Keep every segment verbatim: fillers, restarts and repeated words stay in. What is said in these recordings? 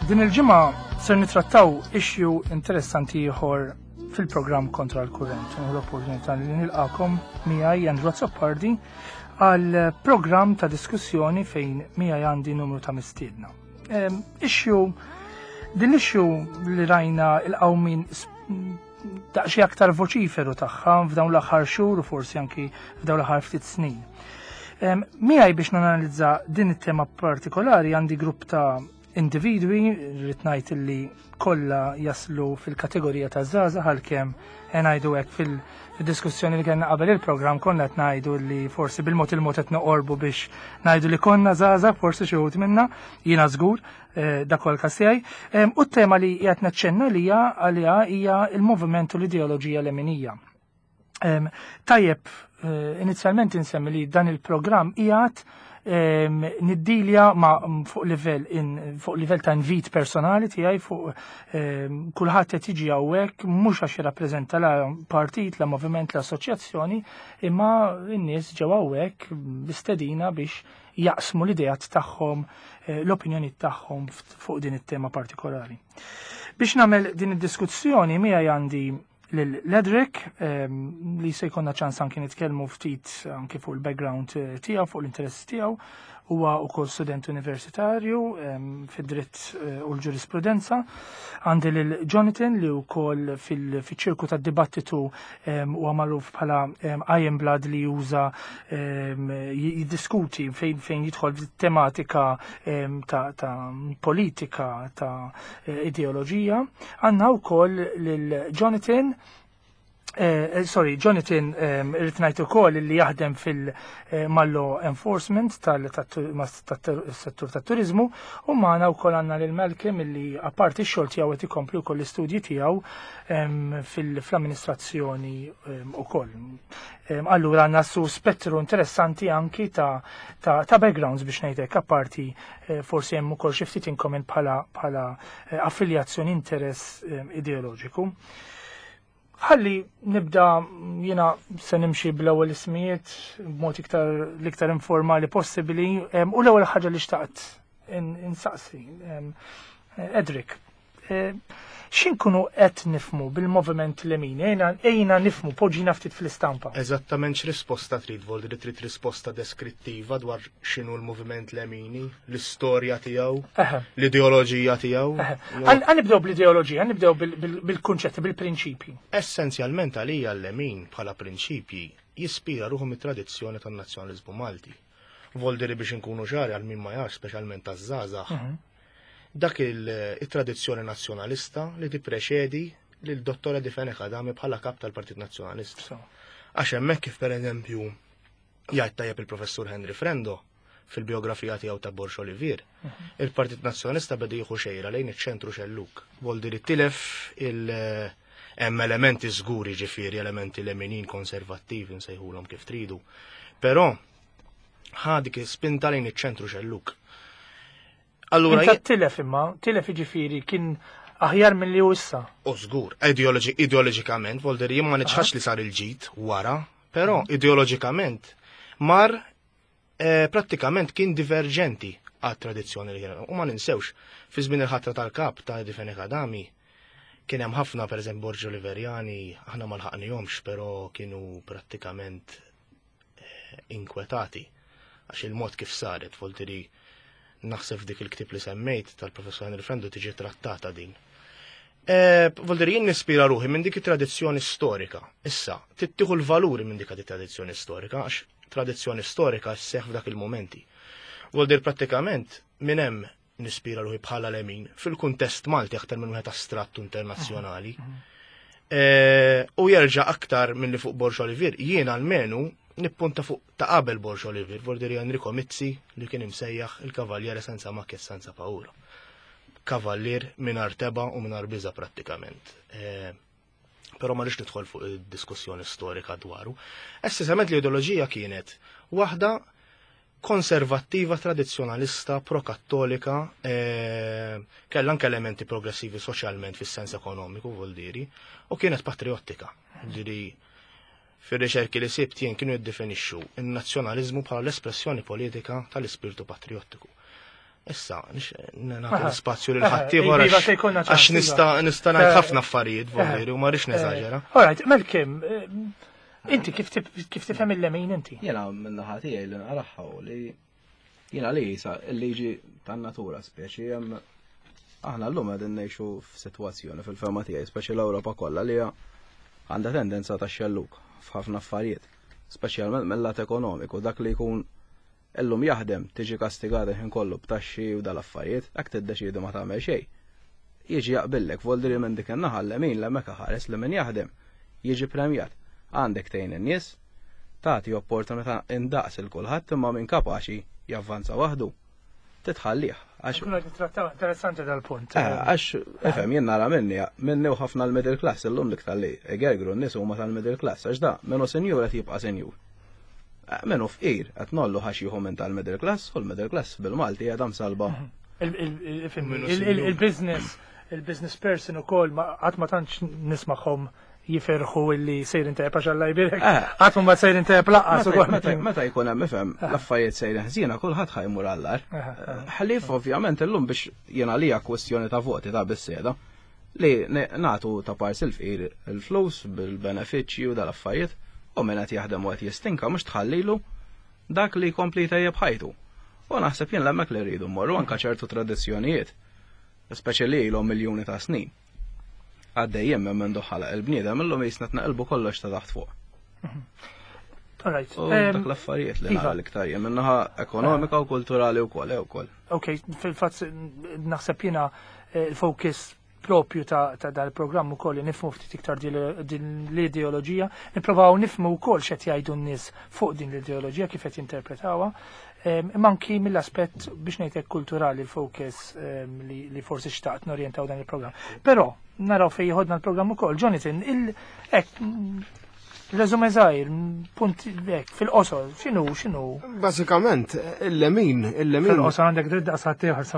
Din il-ġimgħa ser nitrattaw issue interessanti ieħor fil-programm Kontra l-Kurrent. Nieħu l-opportunità li nilqakom miegħi Andrew Azzopardi għal programm ta' diskussjoni fejn miegħi għandi numru ta' mistiedna. Issue din l-issue li rajna il-qawmin daqsxejn aktar voċiferu tagħha f'dawn l-aħħar xhur u forsi anki f'dawn l-aħħar ftit snin. Miegħi biex nanalizza din it-tema partikolari għandi grupp ta' individwi, rrid ngħid li kollha jaslu fil-kategorija ta' żgħażagħ, għalkemm ngħidu hekk fil-diskussjoni li kellna qabel il-programm konna qed ngħidu li forsi bil-mod il-mod qed noqorbu biex ngħidu li konna żgħażagħ, forsi xi wħud minna, jiena żgur eh, dak huwa l-każ tiegħi. U t-tema li qed naċċenna li hija għaliha hija il-moviment u l-ideoloġija leminija. Tajjeb, eh, inizjalment insemmi li dan il-programm qiegħed niddilja ma fuq livell fuq livell ta' invit personali tiegħi, fuq kulħadd qed jiġi hawnhekk mhux għax jirrappreżenta la partit, la moviment, la assoċjazzjoni, imma n-nies ġew hawnhekk bistedina biex jaqsmu l-ideat tagħhom, eh, l-opinjoni tagħhom fuq din it-tema partikolari. Biex nagħmel din id-diskussjoni miegħi għandi lil Ledric, li se jkollna ċans anki nitkellmu ftit anki fuq il-background eh, tiegħu, fuq l-interess tiegħu. Huwa wkoll student universitarju fid-dritt eh, u l-ġurisprudenza. Għandi lil Jonathan li wkoll fil-ċirku tad-dibattitu huwa magħruf bħala Iron Blood, li juża jiddiskuti fejn fejn jidħol tematika ta' politika, ta' eh, ideoloġija. Għandna wkoll lil Jonathan Eh, sorry, Jonathan irrid ngħid ukoll li jaħdem fil-mal-law enforcement tal-settur tat-turiżmu, u magħna wkoll għandna lil Malcolm illi apparti x-xogħol tiegħu qed ikompli wkoll l-istudji tiegħu fil-amministrazzjoni ukoll. Allura għandna su spettru interessanti anki ta' ta' backgrounds biex ngħidlek, apparti eh, forsi hemm ukoll xi ftit in common bħala bħala eh, affiljazzjoni, interess ideoloġiku. Ħalli nibda, jiena se nimxi bl-ewwel ismijiet b'mod iktar l-iktar informali possibbli, u l-ewwel ħaġa li xtaqt insaqsi. Edric, eh, x'inkunu qed nifhmu bil-moviment lemini? Ejna, ejna nifhmu, poġġina ftit fl-istampa. Eżattament x'risposta trid, Voldi, li trid risposta deskrittiva dwar x'inhu l-moviment lemini, l-istorja tiegħu, l-ideoloġija tiegħu? Ħa nibdew bl-ideoloġija, nibdew bil-kunċetti, bil-prinċipji. Essenzjalment għalija l-lemin bħala prinċipji jispira ruħu mit-tradizzjoni tan-nazzjonaliżmu Malti. Voldiri biex inkunu ċari għal min ma jafx, speċjalment taż-żgħażagħ, mhm. dak il-tradizzjoni nazzjonalista li tippreċedi lil Dottor Eddie Fenech Adami bħala kap tal-Partit Nazzjonalista. Għax hemmhekk, kif pereżempju jgħid tajjeb il-Professur Henry Frendo fil-biografija tiegħu ta' Borg Olivier, mhm. il-Partit Nazzjonalista beda jieħu xejra lejn iċ-ċentru xelluk. Voldi li tilef il- hemm elementi żguri, ġifieri elementi leminin, konservattivi, nsejħulhom kif tridu. Però ħa dik spinta lejn iċ-ċentru xelluk. Allura tilef, imma tilef ġifieri kien aħjar mill-li hu issa. U żgur, ideoloġikament, Volder, jien ma niċħax li sar il-ġid wara, però mhm. ideoloġikament mar eh, prattikament kien diverġenti għat tradizzjoni li kien. U ma ninsewx, fi żmien il-ħatra tal-kap ta' Eddie Fenech Adami, kien hemm ħafna, pereżempju Borg Oliverjani, aħna ma lħaqnihomx, però kienu prattikament eh, inkwetati għax il-mod kif saret, Voltiri, naħseb dik il-ktib li semmejt tal-professor Henry Frendo tiġi trattata din. E, Voldiri jien nispira ruħi minn dik it-tradizzjoni storika. Issa, tittieħu l-valuri minn dik it-tradizzjoni storika, għax tradizzjoni storika sseħħ f'dak il-momenti. Voldir prattikament minn hemm nispira ruħi bħala lemin fil-kuntest Malti aktar minn wieħed astrattu internazzjonali. E, u jerġa' aktar minn li fuq Borg Olivier, jien almenu nippunta fuq ta' qabel Borg Olivier, Voldiri Enrico Mizzi li kien imsejjaħ il-Kavalliere senza macchia e senza paura. Kavallier mingħajr tebgħa u mingħajr biża prattikament. E, però ma rridx nidħol fuq id-diskussjoni storika dwaru. Essenzjalment l-ideoloġija kienet waħda konservattiva, tradizzjonalista, pro-kattolika, e, kellha anke elementi progressivi soċjalment fis-sens ekonomiku, vuol u kienet patriottika. Diri fir-riċerki li sibt jien kienu jiddefinixxu in-nazzjonaliżmu bħala l-espressjoni politika tal-ispirtu patriottiku. Issa, nagħti l-spazju lil ħaddieħor għax nista' nista' ngħid ħafna affarijiet voldiri u ma rridx neżaġera. Alright, Malcolm, inti kif tifhem il-lemin inti? Jiena min-naħa tiegħi li naraħħa li jiena li jisa il-liġi tan-natura speċi hemm aħna llum qegħdin ngħixu f'sitwazzjoni fil-fehma tiegħi, speċi l-Ewropa kollha li għandha tendenza ta' xelluk f'ħafna affarijiet, speċjalment mill-lat ekonomiku, dak li jkun illum jaħdem tiġi kastigata ħin kollu b'taxxi u dal-affarijiet, hekk tiddeċiedi ma tagħmel xejn. Jiġi jaqbillek voldiri minn dik in-naħa l-lemin l-hemmhekk ħares li min jaħdem jiġi premjat. Għandek tgħin in-nies, tagħti opportunità indaqs il kulħadd imma min kapaċi javvanza waħdu. Titħallih għax. Kuna nittrattaw interessanti dal-punt. Għax ifhem jien nara minni minni u ħafna l-middle class illum l-iktar li egergru n-nies huma tal-middle class għax da minnu senjur qed jibqa' senjur. Menu fqir, qed nollu ħax jieħu minn tal-middle class u l-middle class bil-Malti qiegħda msalba. Il-business, il-business person ukoll qatt ma tantx nismagħhom jiferħu illi sejrin tajjeb għax Alla jbierek. Qatt ma sejrin tajjeb lanqas ukoll. Meta jkun hemm ifhem l-affarijiet sejrin ħżiena kulħadd ħajmur għall-agħar. Ħlief ovvjament illum biex jiena għalija kwestjoni ta' voti ta' bis-seda li nagħtu ta' pars il-fqir il-flus bil-benefiċċji u dal-affarijiet. U minn qed jaħdem u qed jistinka mhux tħallilu dak li jkompli tajjeb ħajtu. U naħseb jien hemmhekk li rridu mmorru anke ċertu tradizzjonijiet, speċi li ilhom miljuni ta' snin. Għaddejjem minn mindu ħalaq il-bniedem illum jisna tnaqilbu kollox ta' taħt fuq. Alright. Dak l-affarijiet li nara l-iktar jien minnaħa ekonomika u kulturali wkoll ukoll. Ok, fil-fatt naħseb jiena il-focus propju ta' dal-programm ukoll li nifhmu ftit iktar din l-ideoloġija, nipprovaw nifhmu wkoll x'qed jgħidu n-nies fuq din l-ideoloġija kif qed jinterpretawha, imma anki mill-aspett biex ngħidlek kulturali l-focus li forsi xtaqt norjentaw dan il-programm. Però naraw fejn jieħodna l-programm ukoll. Jonathan, il-hekk resume żgħir, punt hekk fil-qosor, x'inhu x'inhu? Bażikament, il-lemin, il-lemin. Fil-qosor għandek dritt daqs ieħor sa.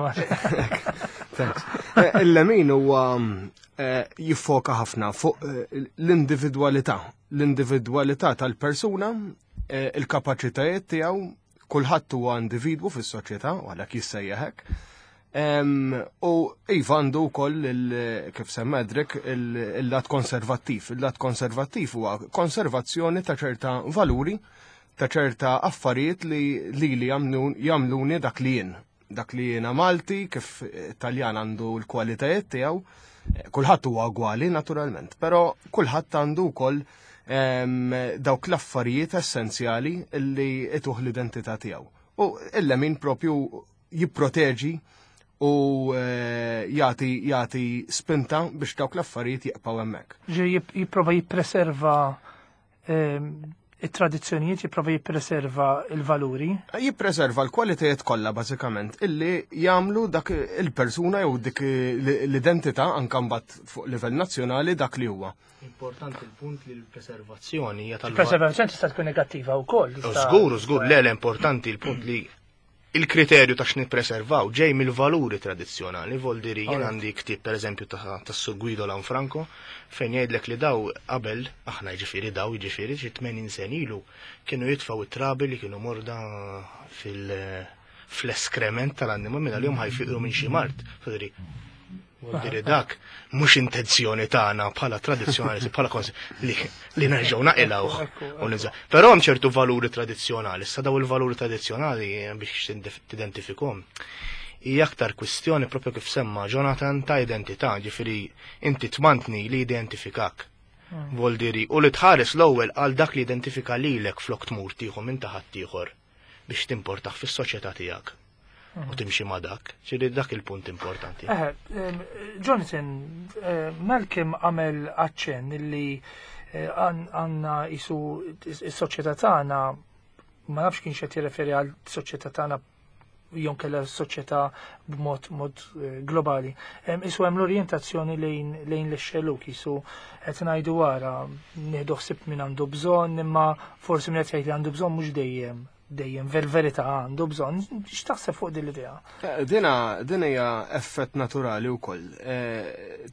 Thanks. Il-lemin huwa jiffoka ħafna fuq l-individwalità, l-individwalità tal-persuna, il-kapaċitajiet tiegħu, kulħadd huwa individwu fis-soċjetà, u għalhekk jissejjaħ hekk. U iva għandu wkoll kif semma Edric il-lat konservattiv. Il-lat konservattiv huwa konservazzjoni ta' ċerta valuri, ta' ċerta affarijiet li li jagħmluni dak li jien. Dak li jiena Malti, kif Taljan għandu l-kwalitajiet tiegħu, kulħadd huwa ugwali naturalment, però kulħadd għandu wkoll dawk l-affarijiet essenzjali li ituh l-identità tiegħu. U il-lemin propju jipproteġi u jagħti jagħti spinta biex dawk l-affarijiet jibqgħu hemmhekk. Ġi jipprova jippreserva it-tradizzjonijiet, jipprova jippreserva il-valuri. Jippreserva l-kwalitajiet kollha bażikament illi jagħmlu dak il-persuna jew dik l-identità anke mbagħad fuq livell nazzjonali dak li huwa. Importanti il-punt li l-preservazzjoni hija tal Il-preservazzjoni tista' tkun negattiva wkoll. Żgur, żgur, le l-importanti il-punt li il-kriterju ta' x'nippreservaw ġej mill-valuri tradizzjonali, voldiri jien għandi ktieb pereżempju ta' Sur Guido Lanfranco fejn jgħidlek li daw qabel, aħna jiġifieri daw jiġifieri xi tmenin sen ilu kienu jitfgħu it-trabi li kienu morda fil fl-eskrement tal-annima minn għalihom ħajfiqru minn xi mart. Voldiri, voldiri dak mhux intenzjoni tagħna bħala tradizzjonali, bħala kons li, li nerġgħu naqilgħu. Però hemm ċertu valuri tradizzjonali, issa daw il-valuri tradizzjonali biex tidentifikhom. Hija aktar kwistjoni propju kif semma Jonathan ta' identità, ġifieri inti tmantni li identifikak. Voldiri, u li tħares l-ewwel għal dak li identifika lilek flok tmur tieħu minn ta' ħaddieħor biex timportaħ fis-soċjetà tiegħek. U timxi ma' dak, ġifieri dak il-punt importanti. Eh, Jonathan, Malcolm għamel aċċenn illi għandna isu is-soċjetà tagħna, ma nafx kienx qed jirreferi għal soċjetà tagħna jew kellha s-soċjetà b'mod mod globali. Isu hemm l-orjentazzjoni lejn lejn l-xelluk, isu qed ngħidu wara nieħdu ħsieb min għandu bżonn, imma forsi min qed jgħid li għandu bżonn mhux dejjem dejjem ver-verità għandu bżonn. X'taħseb fuq din l-idea? Dina din hija effett naturali wkoll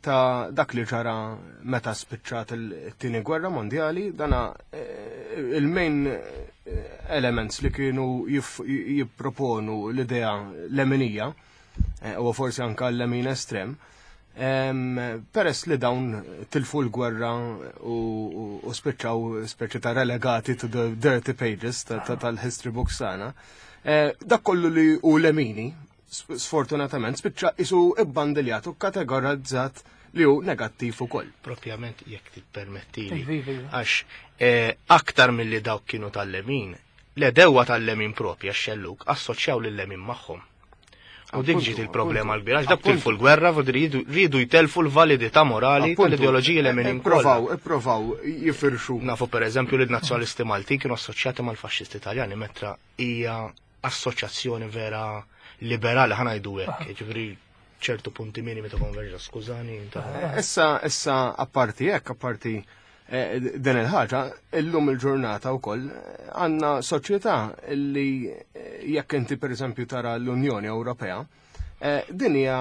ta' dak li ġara meta spiċċat it-tieni gwerra mondjali, dana il-main elements li kienu jipproponu l-idea leminija, u forsi anka l-lemin estrem, peress li dawn tilfu l-gwerra u spiċċaw speċi ta' relegati to the dirty pages tal-history books tagħna, dak kollu li hu lemini, sfortunatament, spiċċa isu ibbandiljat u kategorizzat li hu negattiv ukoll. Propjament jekk tippermettili. Għax aktar milli dawk kienu tal-lemin, l-edewa tal-lemin propja x-xelluk assoċjaw lil-lemin magħhom. U dik ġiet il-problema l-kbira, għax dak tilfu l-gwerra u rridu jtelfu l-validità morali tal-ideoloġiji leminin. Ipprovaw, ipprovaw jifirxu. Nafu pereżempju li l-nazzjonalisti Maltin kienu assoċjati mal-faxxisti Taljani, mentra hija assoċjazzjoni vera liberali ħa ngħidu hekk, jiġifieri ċertu punti minimi ta' konverġenza, skużani. Issa, issa apparti hekk, apparti din il-ħaġa, illum il-ġurnata wkoll għandna soċjetà li jekk inti pereżempju tara l-Unjoni Ewropea, din hija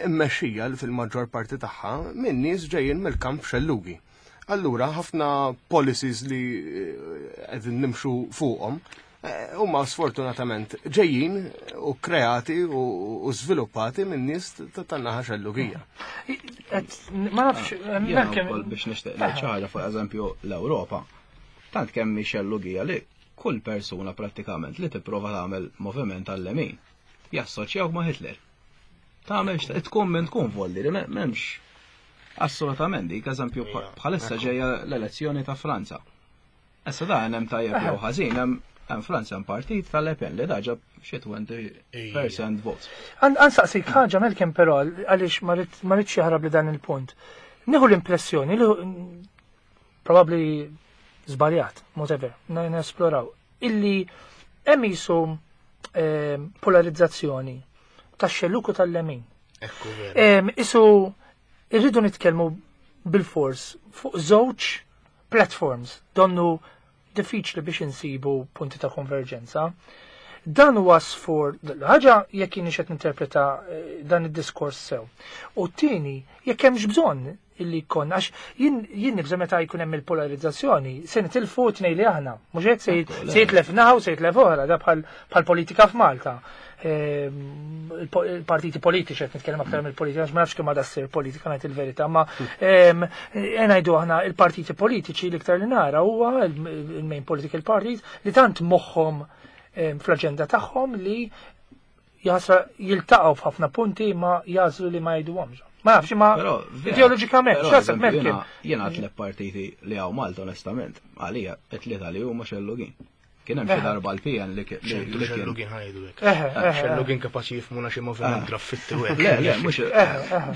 mmexxija fil-maġġor parti tagħha minn nies ġejjin mill-kamp xellugi. Allura ħafna policies li qegħdin nimxu fuqhom huma sfortunatament ġejjin u kreati u żviluppati minn nies tan-naħa xellugija. Ma nafx, ukoll biex nixtieq ngħid xi ħaġa fuq eżempju l-Ewropa. Tant kemm hi xellugija li kull persuna prattikament li tipprova tagħmel moviment għal-lemin jassoċjawk ma' Hitler. Tagħmel tkun minn tkun volli li m'hemmx assolutament dik eżempju bħalissa ġejja l-elezzjoni ta' Franza. Issa dan hemm tajjeb jew ħażin hemm Hemm Franza hemm partit tal-Le Pen li daġa xi twenty percent votes. Ansaqsik ħaġa Malcolm però għaliex ma rridx jaħrab li dan il-punt. Nieħu l-impressjoni li probabbli żbaljat, whatever, nesploraw, illi hemm qisu polarizzazzjoni tax-xelluk u tal-lemin. Ekku vera. Isu irridu nitkellmu bil-fors fuq żewġ platforms donnu diffiċli biex insibu punti ta' konverġenza. Dan huwa sfor ħaġa jekk jien qed ninterpreta dan id-diskors sew. U t-tieni jekk hemmx bżonn illi jkun għax jien jien nibża meta jkun hemm il-polarizzazzjoni se nitilfu tnejn li aħna, mhux hekk se jitlef naħa u se jitlef oħra, da bħal politika f'Malta. Il-partiti politiċi qed nitkellem aktar mill-politika għax ma nafx kemm għadha ssir politika ngħid il-verità, ma ngħidu aħna il-partiti politiċi l-iktar li nara huwa il-main political parties li tant moħħhom fl-aġenda tagħhom li jasra jiltaqgħu f'ħafna punti ma jażlu li ma jgħiduhomx. Ma nafx ma ideoloġikament, x'għaseb Merkel. Jiena tliet partiti li hawn Malta onestament, għalija t-tlieta li huma xellugin. Kien hemm xi darba l-P N li kien xellugin ħajdu hekk. Xellugin kapaċi jifhmuna xi moviment graffitti u hekk. Le, le, mhux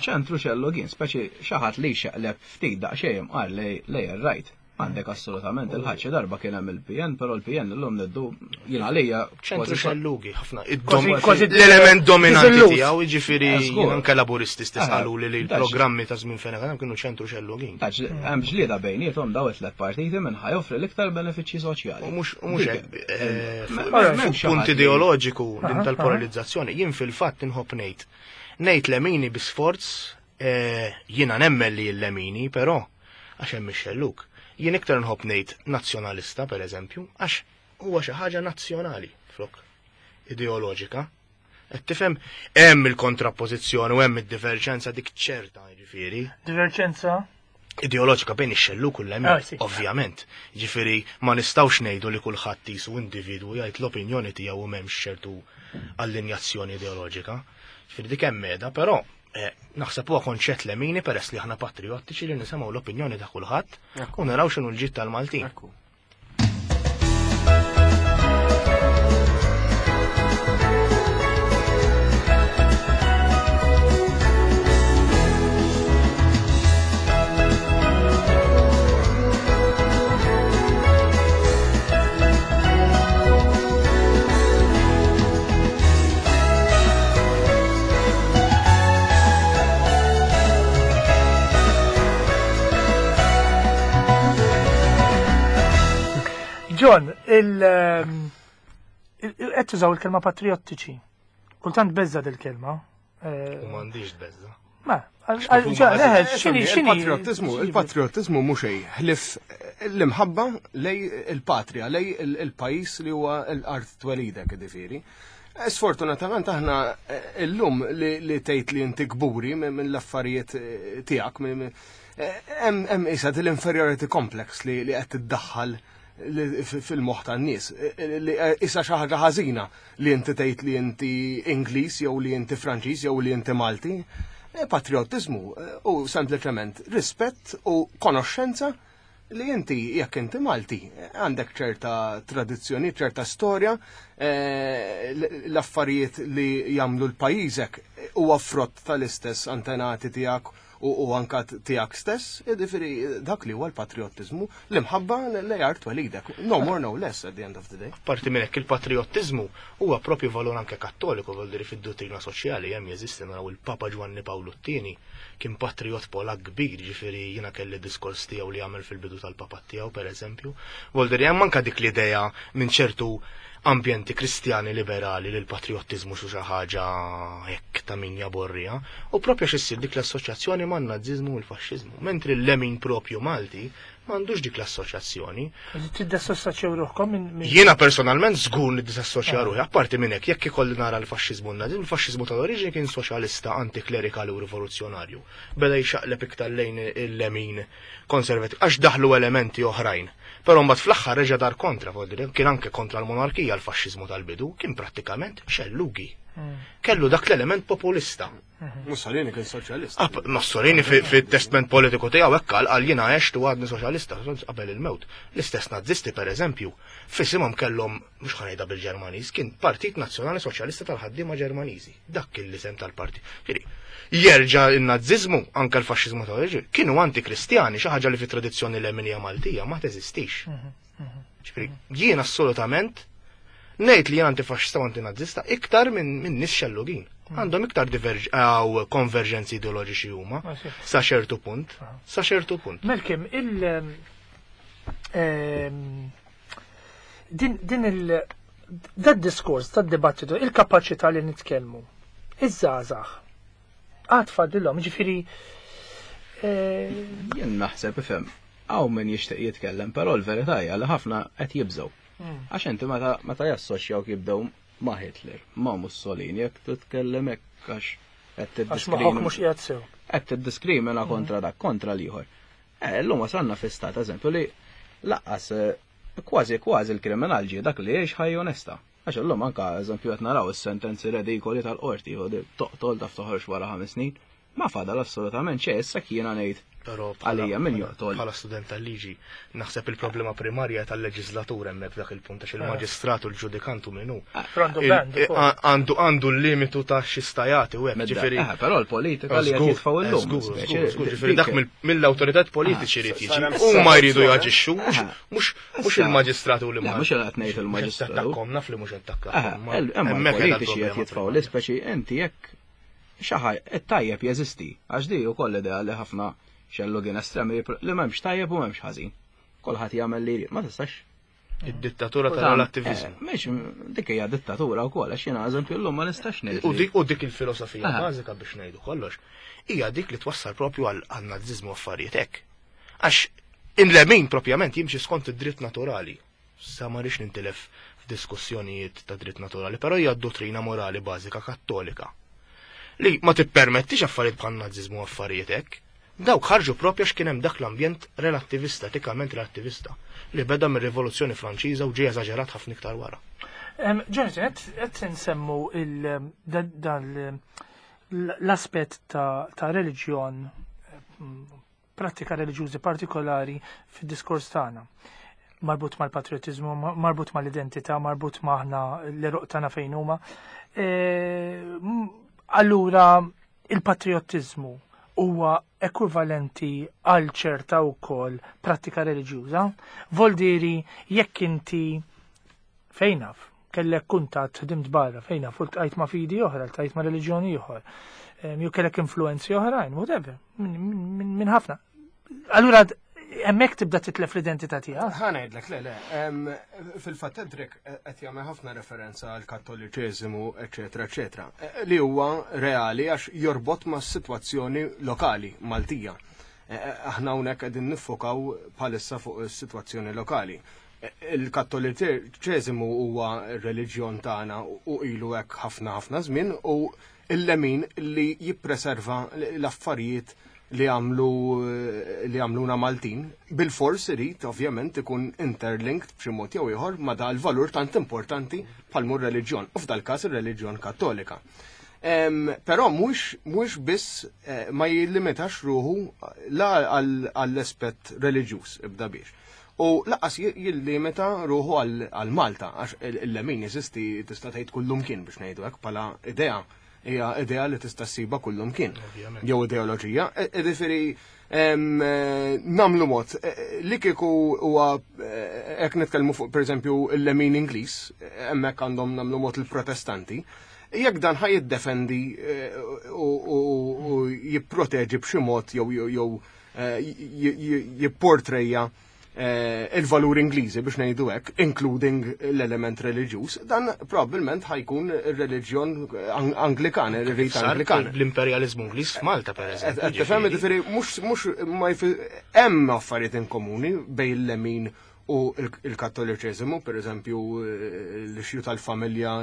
ċentru xellugin, speċi xi ħadd li xeqleb ftit daqsxejn qal lej ir-rajt. Għandek assolutament il-ħadd xi darba kien hemm il-P N, però l-P N illum niddu jien għalija ċentru xellugi ħafna. L-element dominanti tiegħu jiġifieri anke laburisti stess qalu li l-programmi ta' żmien fejn kienu ċentru xellugin. Hemm ġlieda bejniethom daw it-tliet partiti minn ħajoffri l-iktar benefiċċji soċjali. U mhux mhux hekk punt ideoloġiku din tal-polarizzazzjoni jien fil-fatt inħobb ngħid. Ngħid lemini bi sforz jiena nemmen li l-lemini, però għax hemm ix-xellug. Jien iktar nħobb ngħid nazzjonalista pereżempju, għax huwa xi ħaġa nazzjonali flok ideoloġika. Qed tifhem hemm il-kontrappożizzjoni u hemm id-diverġenza dik ċerta, jiġifieri. Diverġenza? Ideoloġika bejn ix-xelluk u l-lemin, ovvjament. Jiġifieri ma nistgħux ngħidu li kulħadd qisu individwu jgħid l-opinjoni tiegħu u m'hemmx ċertu allinjazzjoni ideoloġika. Jiġifieri dik hemm meda, però naħseb huwa konċett lemini peress li aħna patriottiċi li nisimgħu l-opinjoni ta' kulħadd u naraw x'inhu l-ġid tal-Maltin. John, il qed tużaw il-kelma patriottiċi. Kultant beżza dil-kelma. U m'għandix beżza. Ma, Il-patriotizmu, il-patriotizmu mhux xejn ħlief l-imħabba lejn il-patria, lejn il-pajjiż li huwa l-art twelidek, ġifieri. Sfortunatament aħna illum li tgħid li inti kburi minn l-affarijiet tiegħek, hemm isa l-inferiority complex li qed tiddaħħal fil-moħħ tan-nies. Issa xi ħaġa ħażina li inti tgħid li inti Ingliż jew li inti Franċiż jew li inti Malti. Patriotizmu u sempliċement rispett u konoxxenza li inti jekk inti Malti għandek ċerta tradizzjoni, ċerta storja, l-affarijiet li jagħmlu l-pajjiżek huwa frott tal-istess antenati tiegħek u anka tiegħek stess, jiġifieri dak li huwa l-patriotizmu, l-imħabba li art twelidek. No more, no less at the end of the day. Parti minn hekk, il-patriotizmu huwa propju valur anke kattoliku, vuol dire fid-dottrina soċjali hemm jeżisti. Naraw il-Papa Ġwanni Pawlu t-tieni kien patriot Polak kbir, ġifieri jiena kelli diskors tiegħu li għamel fil-bidu tal-papat tiegħu, pereżempju. Vuol dire hemm anke dik l-idea minn ċertu ambjenti kristjani liberali li l-patriotizmu xi ħaġa hekk ta' min jaborrija, u propju x'issir dik l-assoċjazzjoni man-naziżmu u l-faxxiżmu, mentri l-lemin propju Malti m'għandux dik l-assoċjazzjoni. Tiddisassoċjaw ruħkom minn Jiena personalment żgur niddisassoċja ruħi, apparti minn hekk, jekk ikolli nara l-faxxiżmu u n-naziżmu, il-faxxiżmu tal-oriġini kien soċjalista, antiklerikali u rivoluzzjonarju. Beda jxaqleb iktar lejn il-lemin konservativ għax daħlu elementi oħrajn. Però mbagħad fl-aħħar reġa' dar kontra, vuol dire, kien anke kontra l-monarkija l-faxxiżmu tal-bidu, kien prattikament xellugi. Kellu dak l-element populista. Mussolini kien soċjalista. Ah, Mussolini fit-testament politiku tiegħu hekk qal, qal jiena għext u għadni soċjalista qabel il-mewt. L-istess nazisti, pereżempju, f'isimhom kellhom, mhux ħa ngħidha bil-Ġermaniż, kien Partit Nazzjonali Soċjalista tal-Ħaddiema Ġermaniżi. Dak kien l-isem tal-partit. Ġifieri, jerġa' n-naziżmu, anke l-faxxiżmu tal-oriġini, kienu antikristjani, xi ħaġa li fit-tradizzjoni leminija Maltija ma teżistix. Ġifieri, jien assolutament ngħid li jien antifaxxista u antinazista iktar minn min nies xellugin. Għandhom iktar diverġ għaw konverġenzi ideoloġiċi huma sa ċertu punt, sa ċertu punt. Malcolm, il ehm, din din il dad diskors, tad dibattitu, il-kapaċità li nitkellmu, iż-żgħażagħ għad fadlilhom, ġifieri eh, Jien naħseb, ifhem, hawn min jixtieq jitkellem, però l-verità hija li ħafna qed jibżgħu. Għax inti meta meta jassoċjaw jibdew ma' Hitler, ma' Mussolini, jekk titkellem hekk għax qed għax moħħok mhux qiegħed sew. Qed tiddiskrimina kontra dak, kontra l-ieħor. Eh, llum wasalna fi stat, eżempju, li lanqas eh, kważi kważi l-kriminal ġie dak li jgħix ħajja onesta. Għax illum anka, eżempju, qed naraw is-sentenzi redikoli tal-qorti, u di toqtol taf toħroġ wara ħames snin, ma fadal assolutament xejn. Issa jiena ngħid Però għalija min joqtol. Bħala student tal-liġi, naħseb il-problema primarja tal-leġislatur hemmhekk f'dak il-punt, għax il-maġistrat u l-ġudikantu minnu. Għandu Il- band ukoll. a- Għandu għandu l-limitu ta' xistajati u hekk, Medda- ġifieri. Eh, però l-politika li qed Żgur, jitfgħu illum. żgur, speċi, żgur, żgur, ġifieri dak dik- mill- mill-awtoritat politiċi jrid jiġi. Sar hemm Huma jridu soluzzjoni. jaġixxu, mhux Eh. mhux mhux Issa- il-maġistrat u Le, l-imħallef. mhux qed ngħid il-maġistrat. Attakkom, naf li mhux Eh, attakkom. ma el- Imma hemmhekk qiegħda l-politiċi qed l-problema jitfgħu primarja. l-ispeċi inti jekk xi ħaġa it-tajjeb jeżisti, għax di wkoll idea li ħafna xellugin estremi li m'hemmx tajjeb u m'hemmx ħażin. Kulħadd jagħmel li jrid, ma tistax. Id-dittatura tal-relattivizmu. Eh, Mhix dik hija dittatura wkoll, għax jiena, eżempju, llum ma nistax ngħid. U li- dik u dik il-filosofija Aha. bażika, biex ngħidu kollox, hija dik li twassal propju għal għal naziżmu u affarijiet hekk. Għax in-lemin propjament jimxi skont id-dritt naturali. Sa ma rix nintilef f'diskussjonijiet ta' dritt naturali, però hija dottrina morali bażika kattolika li ma tippermettix affarijiet bħal naziżmu u affarijiet hekk. Dawk ħarġu propju għax kien hemm dak l-ambjent relattivista, etikament relattivista, li beda mir-Rivoluzzjoni Franċiża u ġie eżaġerat ħafna iktar wara. Em, Jonathan, qed nsemmu il da- dal l-aspett ta' ta' reliġjon, em, prattika reliġjużi partikolari fid-diskors tagħna. Marbut mal-patriotizmu, ma- marbut mal-identità, marbut maħna l-eruq tagħna fejn huma. E, m- Allura il-patriotizmu huwa ekwivalenti għal ċerta wkoll prattika reliġjuża. Voldiri jekk inti fejn naf, kellek kuntatt, ħdimt barra, fejn naf, u ltqajt ma' fidi oħra, ltqajt ma' reliġjoni oħra, jew kellek influenzi oħrajn, whatever, minn min, min ħafna. Allura Hemmhekk tibda titlef l-identità tiegħek. Ħa ngħidlek, le, le. em, Fil-fatt Edric qed jagħmel ħafna referenza għal kattoliċeżimu, eċetera, eċetera, eh, li huwa reali għax jorbot ma' sitwazzjoni lokali Maltija. Eh, Aħna hawnhekk qegħdin niffokaw bħalissa fuq is-sitwazzjoni lokali. Eh, Il-kattoliċeżimu huwa r-reliġjon tagħna u ilu hekk ħafna ħafna żmien u il-lemin li jippreserva l-affarijiet li għamlu li għamluna Maltin, bil-fors irid ovvjament ikun interlinked b'xi mod jew ieħor ma' da l-valur tant importanti bħal reliġjon, u f'dal każ ir-reliġjon Kattolika. Em, Però mhux mhux biss eh, ma jillimitax ruħu la għall- għall-aspett reliġjuż ibda biex. U lanqas jillimita ruħu għal għal Malta, għax il-lemin jeżisti tista' tgħid kullumkien biex ngħidu hekk bħala idea hija idea li tista' ssiba kullumkien. Ovvjament. Jew ideoloġija. E- Jiġifieri em, eh, nagħmlu mod eh, li kieku huwa eh, hekk nitkellmu fuq pereżempju il-lemin Ingliż, eh, hemmhekk għandhom nagħmlu mod il-Protestanti. Jekk dan ħa jiddefendi eh, u u- u jipproteġi b'xi mod jew jew jew eh, j- j- jipportrejja eh, il-valur Ingliżi biex ngħidu hekk, including l-element reliġjuż, dan probabbilment ħa jkun ir-reliġjon Ang- Anglikan, ir-rit Sar Anglikan. L-imperjalizmu Ingliż f'Malta per eżempju. Qed tifhem ġifieri. jiġifieri mhux mhux ma jfi- hemm affarijiet in komuni bejn il-lemin u il- il-kattoliċeżimu, per eżempju l-issue tal-familja,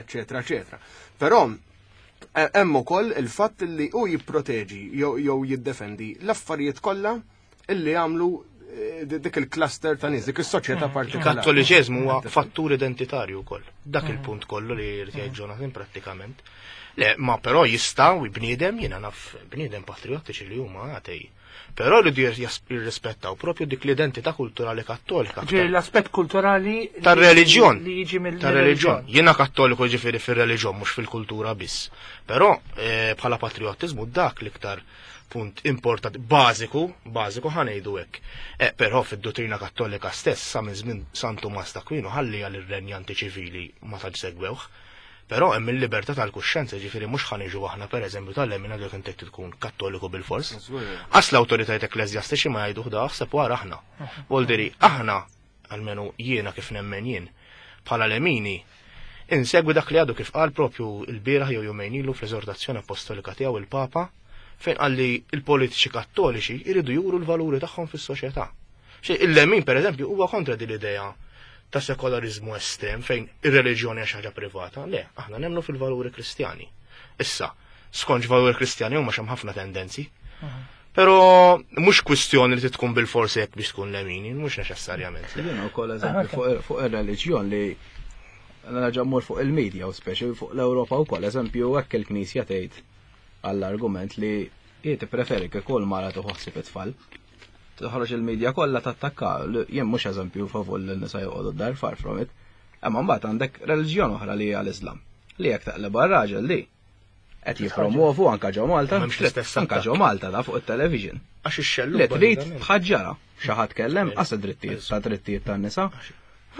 eċetera, eċetera. Però eh, hemm ukoll il-fatt li hu jipproteġi jew jew jiddefendi l-affarijiet kollha illi jagħmlu eh, dik il-cluster ta' nies, dik is-soċjetà partikolari. Il-kattoliċeżmu huwa fattur identitarju wkoll. Dak il-punt kollu li jrid jgħid Jonathan prattikament. Le, ma però jista' u bniedem jiena naf bniedem patriottiċi li huma għatej. Però rridu jirrispettaw propju dik l-identità kulturali kattolika. Ġifieri l-aspett kulturali li- Tar-reliġjon. li jiġi mill Tar-reliġjon. Jiena kattoliku ġifieri fir-reliġjon mhux fil-kultura biss. Però eh, bħala patriottiżmu dak l-iktar punt importanti, bażiku, bażiku ħa ngħidu hekk. Eh, però fid-dottrina kattolika stess sa minn żmien San Tumas t'Aquino ħalli għal ir-renjanti ċivili ma tantx segwewh. Però hemm il-libertà tal-kuxjenza, ġifieri mhux ħa niġu aħna pereżempju tal-lemina li inti tkun kattoliku bil-fors. Għax l-awtoritajiet ekkleżjastiċi ma jgħiduh da aħseb wara aħna. Voldiri, aħna, almenu jiena kif nemmen jien, bħala lemini, insegwi dak li għadu kif qal propju il-bieraħ jew jumejn ilu fl-eżortazzjoni apostolika tiegħu il-Papa, fejn qal li il-politiċi kattoliċi jridu juru l-valuri tagħhom fis-soċjetà. Xi il-lemin pereżempju huwa kontra din l-idea ta' sekolarizmu estrem fejn ir-reliġjoni hija xi ħaġa privata. Le, aħna nemmnu fil-valuri kristjani. Issa, skont valuri kristjani huma hemm ħafna tendenzi. Però mhux kwistjoni li tkun bil-forsi jekk biex tkun lemini, mhux neċessarjament. Jiena wkoll eżempju fuq fuq ir-reliġjon li nerġa' mmur fuq il-medja u speċi fuq l-Ewropa wkoll, eżempju hekk il-Knisja tgħid għall-argument li hi tippreferi kieku l-mara tieħu ħsieb it-tfal. Toħroġ il-medja kollha tattakka, jien mhux eżempju favur li n-nisa joqogħdu d-dar far from it. Imma mbagħad għandek reliġjon oħra li hija l-Islam. Li jekk taqleb raġel li qed jippromovu anka ġo Malta, M'hemmx l-istess anka ġo Malta da fuq it-television. Għax ix-xellu. Li trid tħaġġara xi ħadd kellem qas drittijiet ta' drittijiet tan-nisa.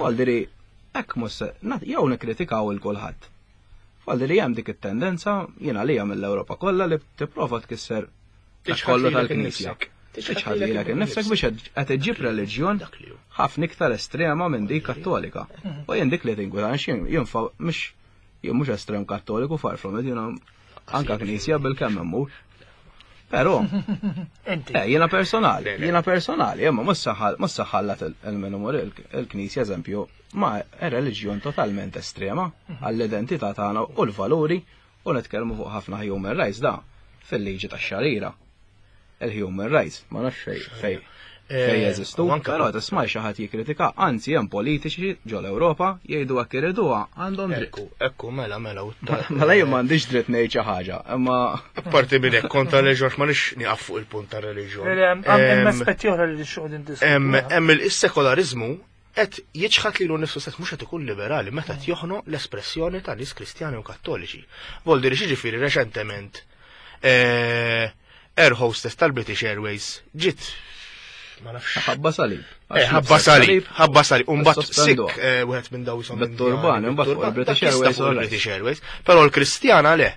Voldiri hekk mhux jew nikkritikaw il kulħadd. Voldiri hemm dik it-tendenza jiena li mill-Ewropa kollha li tipprova tkisser dak kollu tal-Knisja. Tiċħad lilek innifsek biex qed iġġib reliġjon ħafna iktar estrema minn dik kattolika. U jien dik li tinkwita jien mhux jien mhux estrem kattoliku far from it, jiena anka knisja bil-kemm immur. Però, eh, jiena personali, jiena personali, imma mhux saħallat il-minumur il-knisja eżempju, ma reliġjon totalment estrema għall-identità tagħna u l-valuri u nitkellmu fuq ħafna human rights da fil-liġi tax-xarira. Il-human rights, ma nafx fej fej fej eh, jeżistu, però tisma' xi ħadd jikkritika, anzi hemm politiċi ġol Ewropa jgħidu hekk iriduha għandhom dritt. Ekku, ekku, mela, mela. Mela jien m'għandix dritt ngħid xi ħaġa, imma Apparti minn hekk kontra reliġjon ma nix nieqaf fuq il-punt ta' reliġjon. Hemm aspetti oħra li xogħol Hemm il-sekolarizmu qed jiċħat lilu nnifsu stess mhux qed ikun liberali meta qed joħno l-espressjoni ta' nies Kristjani u Kattoliċi. Voldiri xi ġifieri reċentement eh, air hostess tal-British Airways ġiet ma nafx. Ħabba salib. Eh, ħabba salib, ħabba salib. Umbat sik eh, wieħed minn daw jisom. Bit-turban, imbagħad fuq il-British Airways. British Airways. Però l-Kristjana le.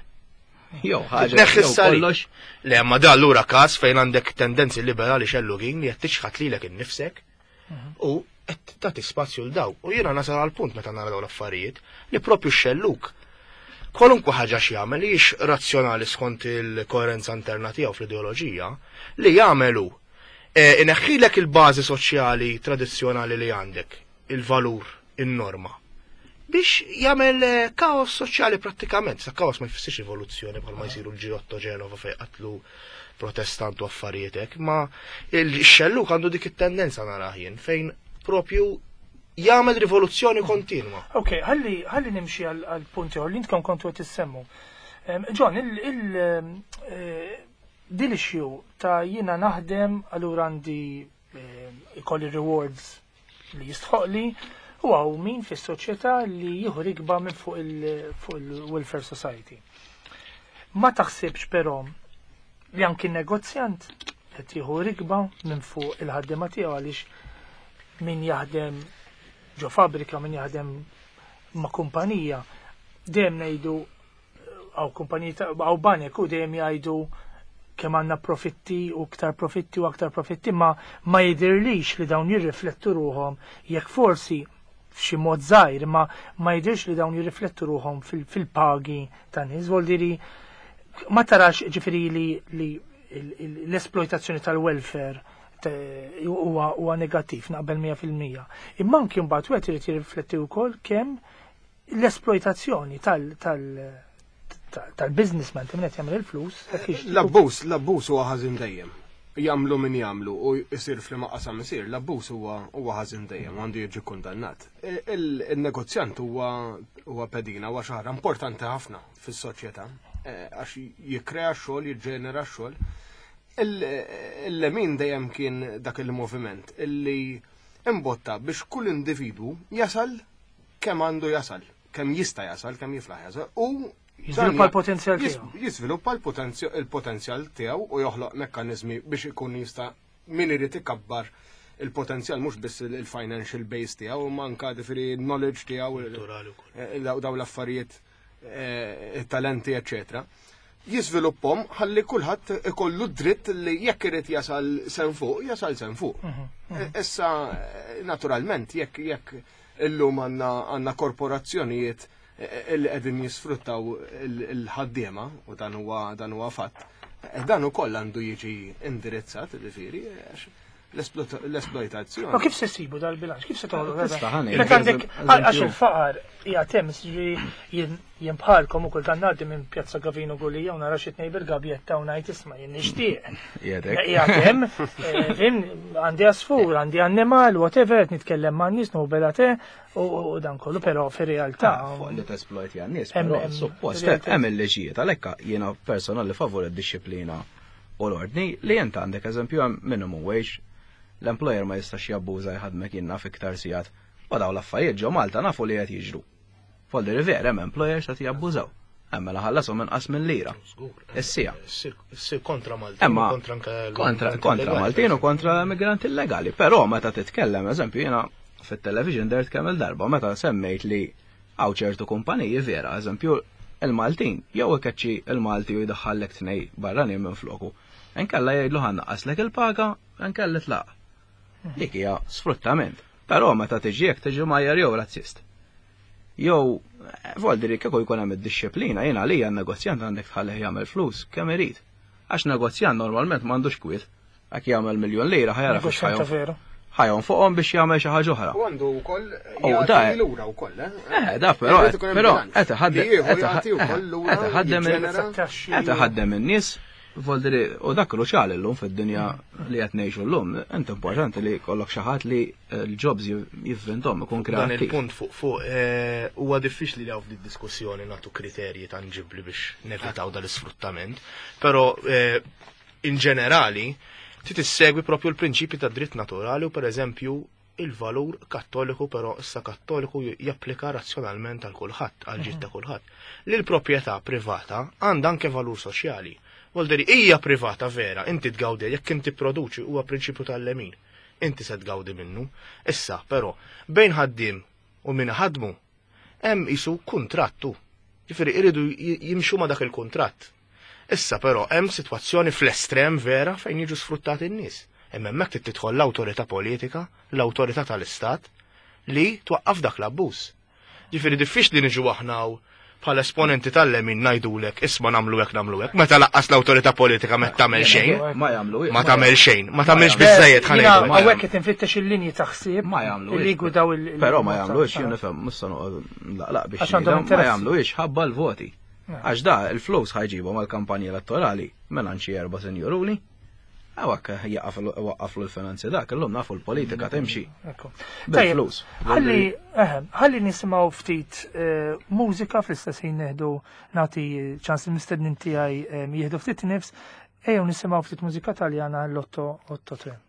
Jew ħaġa. Tneħħi jew s-salib. kollox. Le, ma da allura każ fejn għandek tendenzi liberali xellugin li qed tiċħat lilek innifsek u qed tagħti spazju l daw. U jiena nasal għal punt meta nara dawn l-affarijiet li propju xelluk kwalunkwe ħaġa x'jagħmel li hix razzjonali skont il-koerenza interna tiegħu fl-ideoloġija li jagħmelu eh, ineħħilek il-bażi soċjali tradizzjonali li għandek, il-valur, in-norma biex jagħmel eh, kaos soċjali prattikament. Sa kaos ma jfissirx rivoluzzjoni bħalma jsiru l-Girotto Ġenova fejn qatlu protestant u affarijiet hekk, ma il-xelluk għandu dik it-tendenza narah jien fejn propju jagħmel rivoluzzjoni kontinwa. Ok, ħalli ħalli nimxi għal għal punti li intkom kontu qed issemmu. Em, John, il il eh, din issue ta' jiena naħdem allura għandi eh, ikolli rewards li jistħoqli u hawn min fis-soċjetà li jieħu rikba minn fuq il- fuq il-welfare society. Ma taħsibx però li anki negozjant qed jieħu rikba minn fuq il-ħaddiema tiegħu għaliex min jaħdem ġo fabbrika, min jaħdem ma' kumpanija, dejjem ngħidu għaw kumpaniji ta' għaw banek u dejjem jgħidu kemm għandna profitti u aktar profitti u aktar profitti, ma ma jidirlix li dawn jirriflettu ruhom jekk forsi f'xi mod żgħir, ma ma jidirx li dawn jirriflettu ruhom fil- fil-pagi ta' nies. Vuol ma tarax ġifieri li, li il- il- l-esploitazzjoni tal-welfare te- huwa huwa negattiv naqbel mija fil-mija. Imma anki mbagħad wieħed irid jirrifletti wkoll kemm l-esploitazzjoni tal tal tal- tal-businessman ta' min qed jagħmel il-flus dak ix- L-abbuż, l-abbuż huwa ħażin dejjem. Jagħmlu min jagħmlu u jsir f'liema qasam isir, l-abbuż huwa huwa ħażin dejjem għandu jiġi kundannat. Il- Il-negozjant huwa huwa pedina huwa xi ħaġa importanti ħafna fis-soċjetà eh, għax jikkrea xogħol, jiġġenera xogħol. Il-lemin dejjem kien dak il-moviment illi imbotta biex kull individwu jasal kemm għandu jasal, kemm jista' jasal, kemm jiflaħ jasal u Jiżviluppa dan l-potenzjal jis- tiegħu. Jiżviluppa l-potenzjal il-potenzjal tiegħu u joħloq mekkaniżmi biex ikun jista' min irid ikabbar il-potenzjal mhux biss il-financial base tiegħu, imma anka ġifieri knowledge tiegħu, Kulturali wkoll. eh, daw daw l-affarijiet, eh, talenti, eccetera. Jiżviluppahom ħalli kulħadd ikollu dritt li jekk irid jasal sen fuq, jasal sen fuq. Eh, Issa, eh, naturalment, jekk jekk illum għandna għandna korporazzjonijiet eh, li qegħdin jisfruttaw il- il-ħaddiema u dan huwa dan huwa fatt. eh, Dan ukoll għandu jiġi indirizzat, ġifieri, għax l-esploitazzjoni. Ma kif se ssibu dal-bilanċ? Kif se toħloq? Tista' ħani, Meta għandek eżempju- għax il-faqar hija hemm jien jien bħalkom ukoll dan ngħaddi minn Pjazza Gavino Gulija u nara xi tnejn bil-gabjetta u ngħid isma' jien nixtieq. Jedek. Hija hemm, eh, fim, għandi għasfur, għandi annimal, whatever, qed nitkellem ma' nies nuhu bela te u u dan kollu, però fir-realtà. Fuq li tesploit għan-nies, Hemm- però hemm- suppost realtà. hemm il-liġijiet għalhekk jiena personali favur id-disciplina u l-ordni li jent għandek eżempju hemm minimum wage, l-employer ma jistax jabbuża jħadmek jinnna fiktar sigħat. U daw l-affarijiet ġo Malta nafu li qed jiġru. Folli river hemm employers qed jabbużaw. Hemm mela ħallasom inqas minn lira. Żgur. Is-sija. Issir kontra Maltin, Emma kontra anke l- kontra migranti kontra illegali, Maltin u kontra migranti illegali. Però meta titkellem, eżempju, jiena fit-television dert kemm il-darba meta semmejt li hawn ċertu kumpaniji vera, eżempju, il-Maltin, jew ikeċċi il-Malti u jdaħħallek tnej barranin minn floku. Inkella jgħidlu ħa nnaqqaslek il-paga, inkella tlaq. Dik hija sfruttament. Però meta tiġi jekk tiġi majjar jew razzist. Jew voldiri kieku jkun hemm id-disciplina jiena għalija n-negozjant għandek tħallih jagħmel flus kemm irid. Għax negozjant normalment m'għandux kwiet. Għak jagħmel miljon lira ħa jara fiex Negozjant ta' veru. ħa jonfoqhom biex jagħmel xi ħaġa oħra. U għandu wkoll U jagħti da- lura wkoll, eh? Eh, da, però, Irid ikun hemm però, bilanċ. qed iħaddem- Li jieħu qed jagħti wkoll lura, qed iħaddem il- jiġġenera. Taxxi. Qed iħaddem in-nies, voldiri, u dak kruċjali llum fid-dinja li qed ngħixu llum, int importanti li jkollok xi ħadd li l-jobs jivvinthom ikun Dan kreattiv. il-punt fuq fuq eh, huwa diffiċli li hawn f'di diskussjoni nagħtu kriterji tanġibli biex nevitaw dal-isfruttament, però eh, in ġenerali trid issegwi propju l-prinċipi ta' dritt naturali u pereżempju il-valur kattoliku, però issa kattoliku japplika razzjonalment għal kulħadd, għal ġid ta' kulħadd. Li l-proprjetà privata għandha anke valur soċjali. Volderi hija privata vera, inti tgawdi jekk inti produċi huwa prinċipju tal-lemin. Inti se tgawdi minnu. Issa, però, bejn ħaddiem u min ħadmu, hemm isu kontrattu. Ġifieri iridu jimxu ma dak il-kuntratt. Issa però hemm sitwazzjoni fl-estrem vera fejn jiġu sfruttati n-nies. Imma hemmhekk trid tidħol l-awtorità politika, l-awtorità tal-istat li twaqqaf dak l-abbuż. Ġifieri diffiċli niġu aħna bħala esponenti tal-lemin ngħidulek isma' nagħmlu hekk nagħmlu hekk, meta laqqas l-awtorità politika ma tagħmel xejn. Ma jagħmlu. Ma tagħmel xejn, ma tagħmelx biżejjed ħa ngħidu. Hawnhekk qed infittex il-linji ta' ħsieb. Ma jagħmlu. Li jgwidaw il- Però ma jagħmluhiex jien nifhem, mhux se noqgħod laqlaq biex ma jagħmluhiex ħabba l-voti. Għax da il-flus ħajġibhom għall-kampanja elettorali minn xi erba' sinjuruni. Għawak waqqaflu l-finanzi dak, illum nafu l-politika timxi. Bil-flus. Ħalli ħalli nisimgħu ftit mużika fl-istess ħin neħdu nagħti ċans il-mistednin tiegħi jieħdu ftit nifs, ejjew nisimgħu ftit mużika Taljana l-otto otto tre.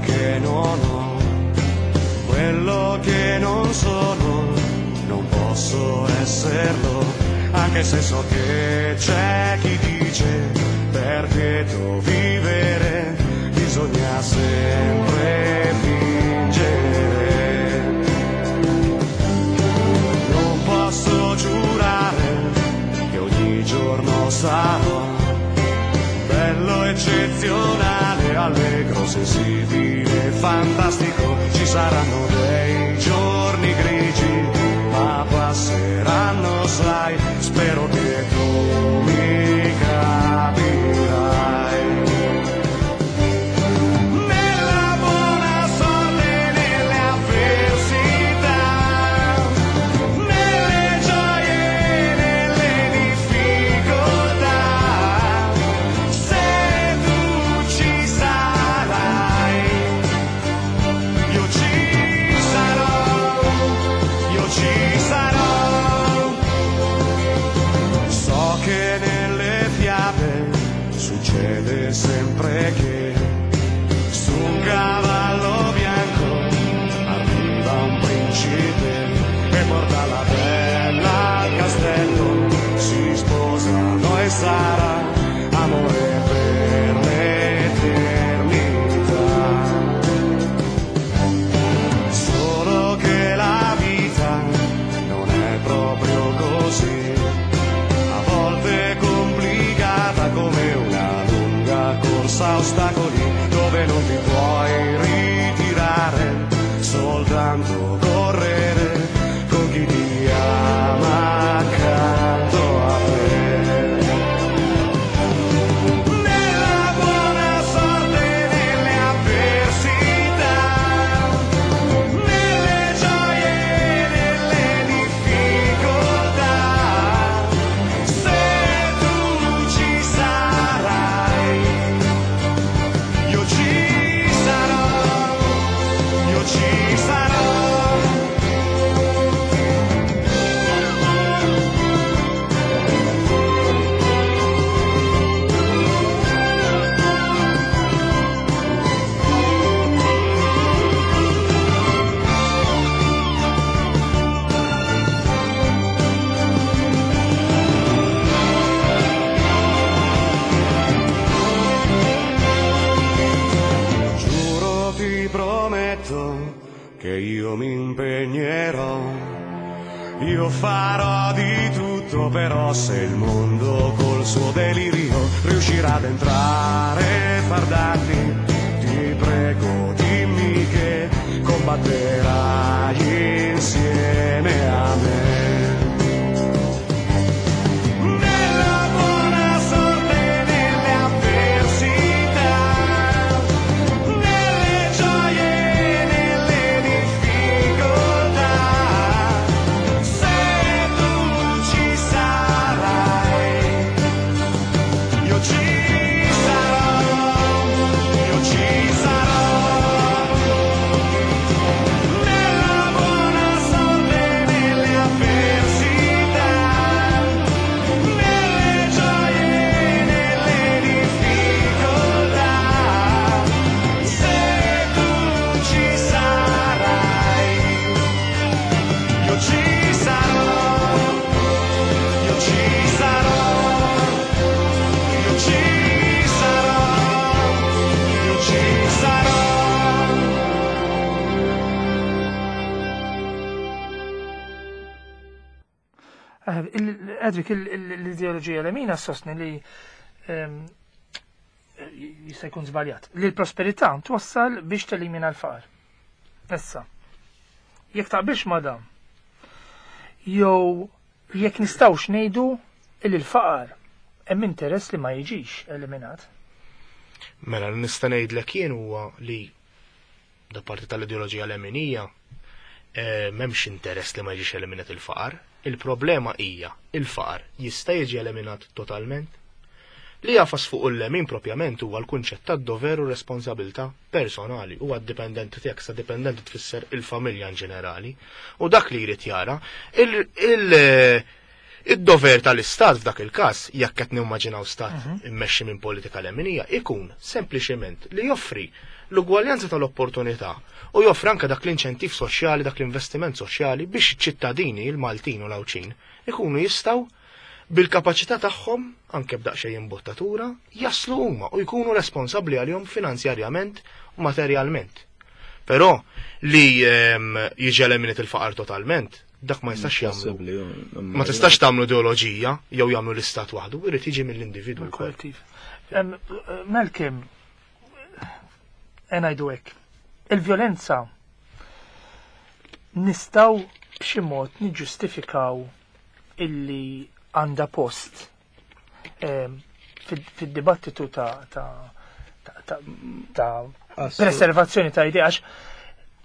Che non ho, quello che non sono, non posso esserlo, anche se so che c'è chi dice per lieto vivere bisogna sempre fingere. Non posso giurare che ogni giorno sarò bello, eccezionale, allegro, sensibile, fantastico. Ci saranno dei giorni grigi, ma passeranno, sai, spero che tu mi capirai. Nella buona sorte, nelle avversità, nelle gioie, nelle difficoltà, se tu ci sarai, io ci sarò, io ci sarò. So che nelle fiabe succede sempre che su un cavallo bianco arriva un principe e porta la bella al castello, si sposano e sarà amore per l'eternità. Solo che la vita non è proprio così, a volte è complicata come una lunga corsa a ostacoli dove non ti puoi ritirare, soltanto correre con chi ti ama accanto a te. Nella buona sorte, nelle avversità, nelle gioie, nelle difficoltà, se tu ci sarai, io ci sarò, io ci sarò. Giuro, ti prometto che io mi impegnerò, io farò di tutto, però se il mondo col suo delirio riuscirà ad entrare e far danni, ti prego dimmi che combatterai insieme a me. Nella buona sorte, nelle avversità, nelle gioie, nelle difficoltà, se tu ci sarai, io ci sarò, io ci sarò. Nella buona sorte, Edric, l-ideoloġija lemina sostni li ehm, jista' jkun żbaljat, li l-prosperità twassal biex telimina l-faqar. Issa, jekk taqbilx ma' dan, jew jekk nistgħux ngħidu li l-faqar hemm interess li ma jiġix eliminat. Mela nista' ngħidlek jien huwa li da parti tal-ideoloġija leminija eh, m'hemmx interess li ma jiġix eliminat il-faqar. Il-problema hija il-faqar jista' jiġi eliminat totalment? Li jafas fuq il-lemin propjament huwa l-kunċett tad-dover u responsabilità personali, huwa d-dipendenti tiegħek, sa dipendenti tfisser il-familja in ġenerali. U dak li jrid jara, il- il- id-dover tal-istat f'dak il-każ, jekk qed nimmaġinaw stat immexxi minn politika leminija, ikun sempliċement li joffri l-ugwaljanza tal-opportunità u joffri anke dak l-inċentiv soċjali, dak l-investiment soċjali biex iċ-ċittadini, il-Maltin u l-Għawdxin, ikunu jistgħu bil-kapaċità tagħhom anke b'daqsxejn imbottatura jaslu huma u jkunu responsabbli għalihom finanzjarjament u materjalment. Però li ehm, jiġi eliminat il-faqar totalment, dak ma jistax jagħmlu. Possibbli, Ma tistax tagħmlu ideoloġija jew jagħmlu l-istat waħdu, irid jiġi mill-individwu wkoll. Kollettiv. Em, Malcolm, ngħidu hekk. Il-vjolenza nistgħu b'xi mod niġġustifikaw illi għandha post em, fid- fid-dibattitu ta' ta' ta' ta' ta' preservazzjoni ta' idea għax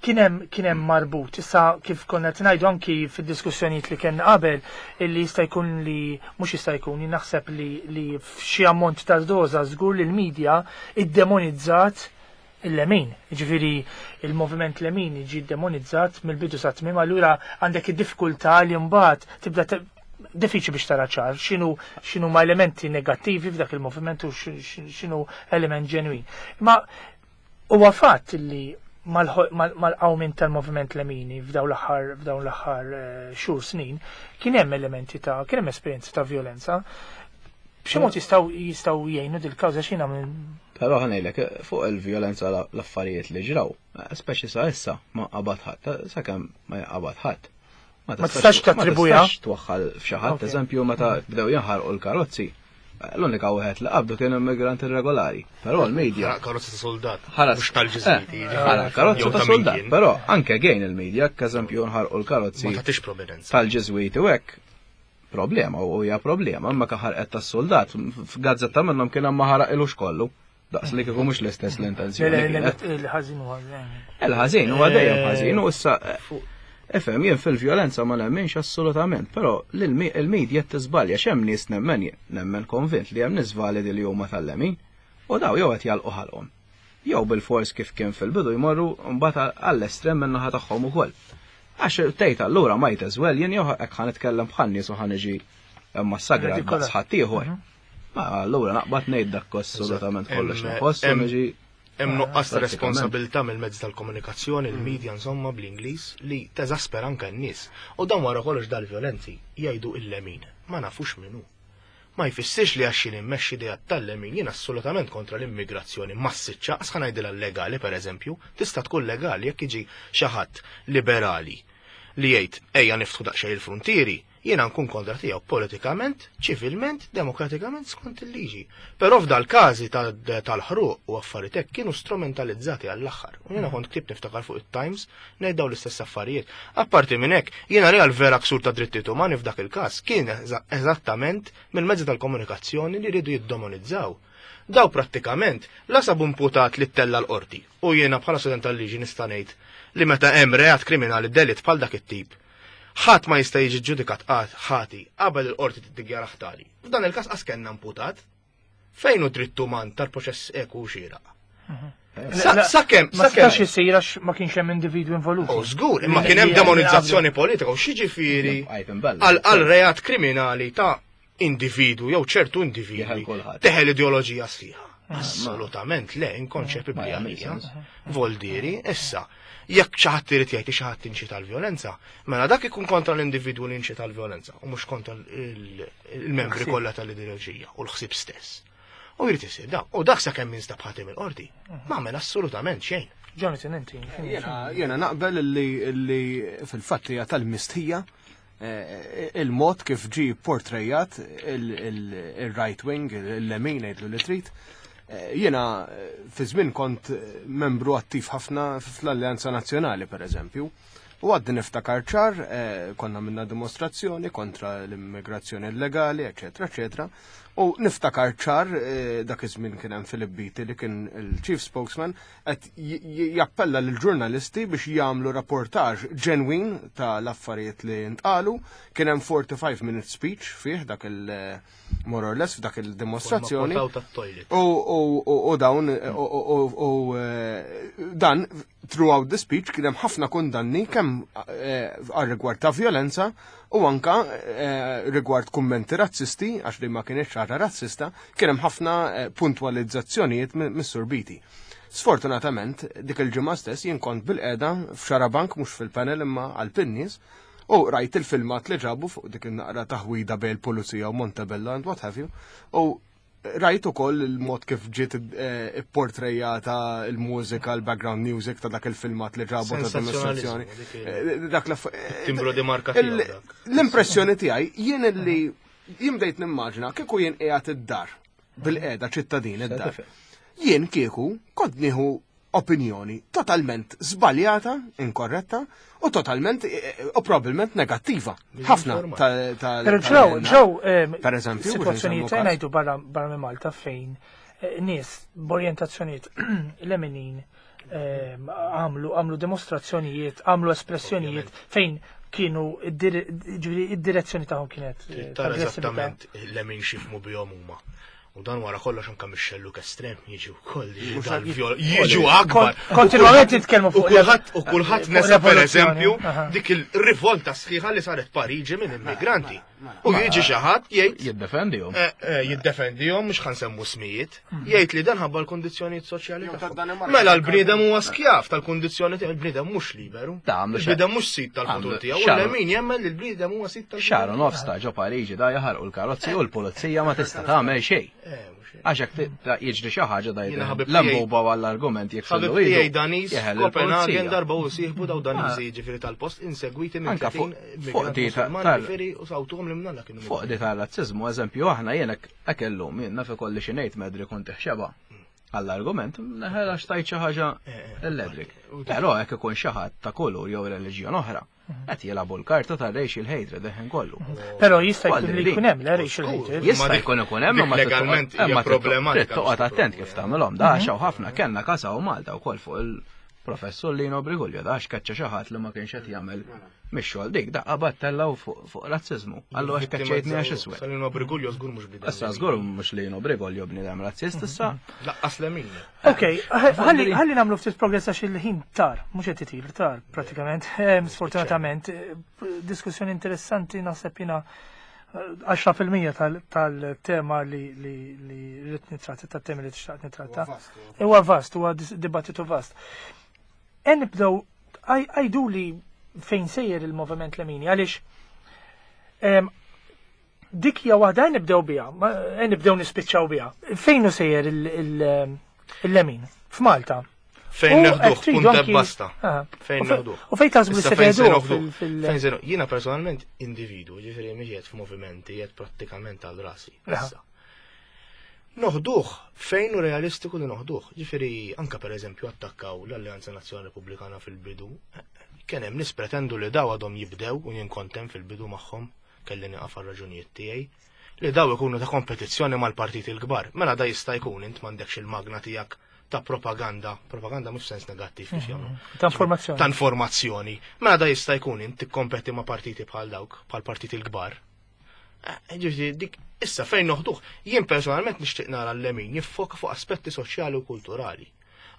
kien hemm kien hemm marbut. Issa kif konna qed ngħidu anki fid-diskussjonijiet li kellna qabel illi jista' jkun li mhux jista' jkun jien naħseb li li f'xi ammont ta' doża żgur li l-medja iddemonizzat il-lemin. Ġifieri il-moviment lemin jiġi demonizzat mill-bidu sa tmiem, allura għandek id-diffikultà li mbagħad tibda te- diffiċli biex tara ċar x'inhu x'inhu ma elementi negattivi f'dak il-moviment u x'inhu element ġenwin. Ma huwa fatt li mal-qawmin tal-moviment lemini f'dawn l-aħħar f'dawn l-aħħar eh, xhur snin kien hemm elementi ta' kien hemm esperjenzi ta' violenza. B'xi mod jistgħu jistgħu jgħinu dil-kawża x'jiena minn Però ħa ngħidlek fuq il-vjolenza l-affarijiet li ġraw, speċi sa issa ma qabad ħadd, sakemm ma jaqbad ħadd. Ma tistax tattribwiha? Ma tistax twaħħal f'xi ħadd, eżempju meta bdew jinħarqu l-karozzi. L-unika wieħed li qabdu kien immigrant irregolari. Però l-medja. Karozza ta' soldat. Ħaras. Mhux tal-ġiżwiti. Eh, ħara, karozza ta' soldat. Però anke gejn il-medja, eżempju nħarqu l-karozzi. Ma tagħtix prominenza. Tal-ġiżwiti u hekk problema u hija problema, imma ħarqet tas-soldat f'gazzetta minnhom kien hemm ma ħaraq ilux kollu. Daqs li kieku mhux l-istess l-intenzjoni. Il-ħażin huwa Il-ħażin huwa dejjem ħażin u issa Ifhem, jien fil-vjolenza ma nemminx assolutament, però il-medja tiżbalja x'hemm nies nemmen nemmen konvint li hemm nies validi li huma tal-lemin u daw jew qed jalqu ħalqhom. Jew bil-fors kif kien fil-bidu jmorru mbagħad għall-estrem min-naħa tagħhom ukoll. Għax tgħid allura might as well jien jew hekk ħa nitkellem bħal nies u ħa niġi massakrat daqs ħaddieħor. Ma allura naqbad ngħid dak assolutament kollox nħoss u niġi Hemm nuqqas ta' responsabilità mill-mezzi tal-komunikazzjoni, il-medja insomma bl-Ingliż li teżaspera anke n-nies. U dan wara kollox dal-vjolenzi jgħidu il-lemin. Ma nafux minnu. Ma jfissirx li għax jien immexxi idea tal-lemin jien assolutament kontra l-immigrazzjoni massiċċa, għax ħa ngħidilha legali pereżempju, tista' tkun legali jekk jiġi xi ħadd liberali li jgħid ejja niftħu daqsxejn il-frontieri, jiena nkun kontra tiegħu politikament, ċivilment, demokratikament skont il-liġi. Però f'dal każi tal-ħruq u affarijiet hekk kienu strumentalizzati għall-aħħar. U jiena kont ktibt niftakar fuq it-Times ngħid dawn l-istess affarijiet. Apparti minn hekk, jiena real vera ksur ta' drittijiet umani f'dak il-każ kien eżattament mill-mezzi tal-komunikazzjoni li rridu jiddemonizzaw. Daw prattikament la sabu imputat li ttella l-qorti u jiena bħala student tal-liġi nista' ngħid li meta hemm reat kriminali delitt bħal dak it-tip ħadd ma jista' jiġi ġudikat ħati qabel il-qorti tiddikjara ħtali. F'dan il-każ qas kellna imputat. Fejn hu dritt uman tal-proċess eku xieraq? Sakemm, Ma setax isir għax ma kienx hemm individwu involuti. Oh, żgur, imma kien hemm demonizzazzjoni politika u x'jiġifieri għal reat kriminali ta' individwu jew ċertu individwi teħel ideoloġija sħiħa. Assolutament le, inkonċepibbli għalija. Voldieri, issa, jekk xi ħadd irid jgħid xi ħadd inċita l-vjolenza, mela dak ikun kontra l-individwu li inċita l-vjolenza u mhux kontra il-membri kollha tal-ideoloġija u l-ħsieb stess. U jrid isir da, u dak sakemm jinstab ħati mill-qorti, ma għamel assolutament xejn. Jonathan, inti. Jiena naqbel li fil-fatt hija tal-mistħija eh, il-mod kif ġi portrejat il-right wing, il-lemin, għidlu li trid. Eh, Jiena eh, fi żmien kont membru attiv ħafna fl-Alleanza Nazzjonali, per eżempju. U għaddi niftakar ċar, eh, konna minna dimostrazzjoni kontra l-immigrazzjoni illegali, eccetera, eccetera. U niftakar ċar, eh, dak iż-żmien kien hemm Philip Beatty li kien il-chief spokesman, qed j- j- jappella lill-ġurnalisti biex jagħmlu rapportaġ ġenwin ta' l-affarijiet li ntqalu. Kien hemm forty-five minute speech fih dak il- eh, more or less f'dak il-dimostrazzjoni. Konna tat-toilet. U, u, u, u dawn, u, u, u, u, eh, dan, throughout the speech, kien hemm ħafna kundanni kemm eh, għal rigward ta' violenza u anka eh, rigward kummenti razzisti, għax li ma kienx ċara razzista, kien hemm ħafna eh, puntwalizzazzjonijiet mis-Sur Beatty. Sfortunatament, dik il-ġimgħa stess jien kont bilqiegħda f'Xarabank, mhux fil-panel imma għal-pinnies, u rajt il-filmat li ġabu fuq dik il-naqra taħwida bejn il-pulizija u Montebello and what have you. U rajt ukoll il-mod kif ġiet eh, ipportrejata il-mużika, il-background music ta' dak il-filmat li ġabu ta' dimostrazzjoni. Dik il- Eh, Dak l Timbru di marka Il- tiegħu dak. L-impressjoni tiegħi jien li jien bdejt nimmaġina kieku jien qiegħed id-dar bilqiegħda ċittadin id-dar. Jien kieku kont nieħu opinjoni totalment żbaljata, inkorretta u totalment eh, u probabbilment negattiva. Ħafna ta' ta' Pero ġew, ġew, Per eżempju, biex situazzjonijiet nsemmu każ. ngħidu barra barra minn Malta fejn eh, nies b'orjentazzjonijiet leminin ehm, għamlu għamlu dimostrazzjonijiet, għamlu espressjonijiet fejn kienu id-dire- ġifieri id-direzzjoni tagħhom kienet eh, Trid tara ta' aggressività. eżattament lemin x'jifhmu bihom huma. U dan wara kollox anke mix-xelluk estrem jiġu wkoll jiġu dal-vjol- jiġu akbar. Kon- Kontinwament nitkellmu U fuq kulħadd u kulħadd fuq nesa per revoluzzjoni. eżempju Aha. dik il-rivolta sħiħa li saret Pariġi minn immigranti. U jiġi xi ħadd jgħid Jiddefendihom. eh, eh, jiddefendihom, mhux ħa nsemmu smijiet, jgħid li dan ħabba l-kondizzjonijiet soċjali Jew tagħhom. tad-Danimarka. Mela l-bniedem huwa skjav tal-kondizzjoni tiegħu, il-bniedem mhux liberu. Da, għamlu xa- Il-bniedem mhux sid tal-futur għamlu tiegħu, u xaru. l-lemin jemmen li l-bniedem huwa sid tal-futur. Xahar u nofs ta' ġo Pariġi da jaħarqu l-karozzi u l-pulizija ma tista' tagħmel xejn. Eh, mhux hekk. Għax hekk ti- jiġri xi ħaġa da Jiena ħabib l-lambuba għall-argument Ħabib jeksillu tiegħi Daniż jeħel Copenhagen il-pulizija. darba u sieħbu daw Daniżi ġifieri tal-post insegwiti minn Anka fuq- tletin fuq di ta' musulmani tal- ġifieri u sawtuhom li mnalla kienu. Fuq di tal-razzizmu, eżempju, aħna jien hekk illum jien naf ikolli xi ngħid medri kont iħxeba. Għall-argument, neħel għax tajt xi ħaġa l-Edric. Però hekk ikun xi ħadd ta' kulur jew reliġjon oħra, qed jilagħbu l-karta tar-racial hatred deħen kollu. Però jista' jkun li Għalli jkun hemm le racial hatred. Ma Jista' dik- jkun ikun hemm dik imma trid legalment toqgħod- hija imma trid problematika trid toqgħod biex attent kif tipprova. tagħmelhom. Da xaw ħafna kellna kasaw Malta wkoll fuq il-professur Lino Briguglio da x'kaċċa xi ħadd li ma kienx qed jagħmel mix-xogħol dik daqqa battella fuq fuq razziżmu. Allu għax kaċċejtni għax iswed. Salino Briguglio żgur mhux bniedem. Issa żgur mhux Lino Briguglio bniedem razzist issa. Laqqas lemin. Ok, ħalli ħalli nagħmlu ftit progress għax il-ħin tar, mhux qed itir, tar pratikament. Ehm, Sfortunatament, eh, diskussjoni interessanti naħseb jiena eh, għaxra fil-mija tal- tal-tema li li li rrid nitratta, tat-temi li tixtaq nitratta. Huwa vast, huwa dis- dibattitu vast. En nibdew għajdu li fejn sejjer il-moviment Lemini, għaliex em, dik hija waħda nibdew biha, ma- eh, nibdew nispiċċaw biha. Fejn hu sejjer il- il- il-Lemin? F'Malta. Fejn U neħduh, hekk tridu punta anki- basta. Aha. Fejn U fe- neħduh. U fejn taħsbu li Issa se fejn se teħduh noħduh? fil- fil- Fejn se no- Jiena personalment individu, ġifieri mhix qiegħed f'movimenti, qiegħed prattikament għal rasi. Aha. Issa. Noħduh, fejn hu realistiku li noħduh. Ġifieri anka per eżempju attakkaw l-Alleanza Nazzjonali Repubblikana fil-bidu. Kien hemm nies pretendu li daw għadhom jibdew u jien kontem fil-bidu magħhom, kelli nieqaf għal raġunijiet tiegħi li daw ikunu ta' kompetizzjoni mal-partiti l-kbar. Mela da jista' jkun int m'għandekx il-magna tiegħek ta' propaganda, propaganda mhux sens negattiv kif jagħmlu. Ta' informazzjoni. Ta' informazzjoni. Mela da jista' jkun int tikkompeti ma' partiti bħal dawk, bħal partiti l-kbar. Eh, Ġifieri dik issa fejn noħduh, jien personalment nixtieq nara l-lemin jiffoka fuq aspetti soċjali u kulturali.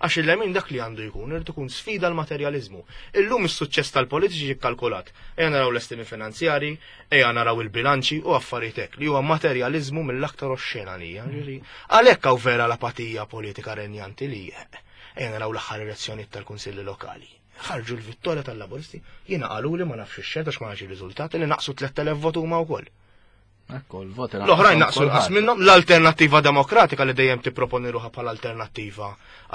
Għax il-lemin dak li għandu jkun, irid ikun sfida l-materjalizmu. Illum is-suċċess tal-politiċi ġie kkalkulat. Ejja naraw l-estimi finanzjari, ejja naraw il-bilanċi u affarijiet hekk li huwa materjalizmu mill-aktar oxxena għalija. Ġifieri, għalhekk hawn vera l-apatija politika renjanti li ejja naraw l-aħħar elezzjonijiet tal-kunsilli lokali. Ħarġu l-vittorja tal-Laburisti, jiena qalu li ma nafx ix-xed għax ma nafx ir-riżultati li naqsu tliet elef votu huma wkoll. Ekku, l-voti L-oħrajn naqsu nqas minnhom l-Alternattiva Demokratika li dejjem tipproponi ruħha bħala alternattiva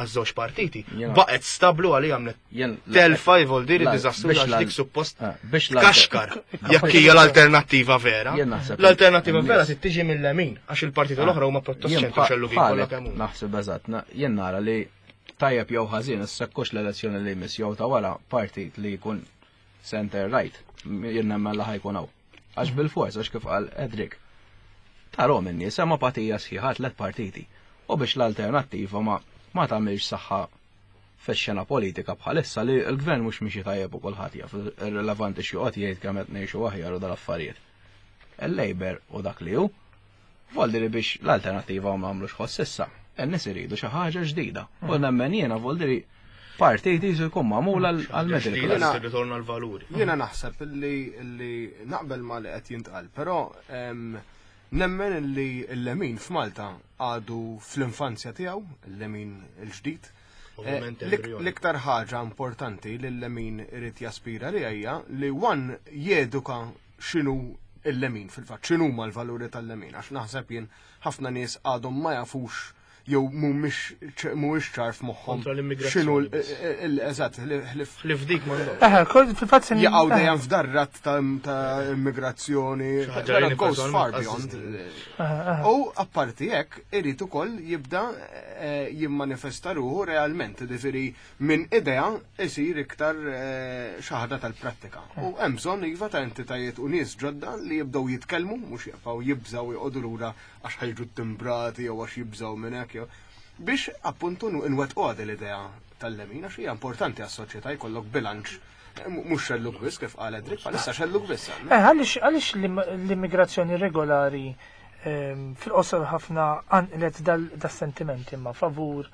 għaż-żewġ partiti. Jena- Baqgħet stablu għalija għamlet Jen- telfa jvoldiri la- diżastruża biex għax l- dik suppost eh, biex l- kaxkar jekk hija l-alternattiva vera. Jien naħseb- L-alternattiva vera n-nies- trid tiġi mill-lemin għax il-partiti l-oħra huma pjuttost Jien ċentru xellugin kollha bħalek kemm huma. Naħseb eżatt, na- jien nara li tajjeb jew ħażin issa kux l-elezzjoni li jmiss jew ta' wara partit li jkun center right, jien nemmen li ħajkun hawn. Għax bil-fors, għax kif qal Edric. Tarahom in-nies hemm apatija sħiħa tliet partiti. U biex l-alternattiva ma ma tagħmilx saħħa fix-xena politika bħalissa li l-gvern mhux miexi tajjeb u kulħadd jaf irrilevanti x'joqgħod jgħid kemm qed ngħixu aħjar u dal-affarijiet. Il-Labour u dak li hu Voldiri biex l-alternativa ma għamlux ħoss issa. In-nies iridu xi ħaġa ġdida. U nemmen jiena voldiri partiti jkun magħmul għal-middle Ġdida class. tirritorna l-valuri. Jiena naħseb li li naqbel ma li qed jintqal, però em, nemmen li l-lemin f'Malta għadu fl-infanzja tiegħu, il-lemin il-ġdid. Eh, Ovvjament l-ik- embrjoni. L-iktar ħaġa importanti li l-lemin irid jaspira li hija li one jeduka x'inhu il-lemin fil-fatt, x'inhu ma l-valuri tal-lemin, għax naħseb jien ħafna nies għadhom ma jafux jew mhumiex mhuwiex ċar f'moħħhom Kontra l-immigrazzjoni x'inhu l- biss. il- eżatt, ħlif Ħlif dik m'għandhomx. Eħe, kol- fil-fatt se jaqgħu eħe. dejjem f'darrat ta' ta' immigrazzjoni, Xi ħaġa però li it goes far personalment beyond. Eħe, U apparti hekk irid ukoll jibda eh, jimmanifesta ruħu realment, ġifieri minn idea isir iktar eh, xi ħaġa tal-prattika. U hemm bżonn iva ta' entitajiet u nies ġodda li jibdew jitkellmu, mhux jibqgħu jibżgħu joqogħdu lura għax ħajġu timbrati jew għax jibżgħu minn hekk jew biex appuntu nwettqu għad l-idea tal-lemin għax hija importanti għas-soċjetà jkollok bilanċ Eh, mhux xellug biss kif qal Edric, bħalissa xellug biss għandna. Eh, għaliex għaliex l-imm- l-immigrazzjoni regolari ehm, fil-qosor ħafna qanqlet dal-sentiment imma favur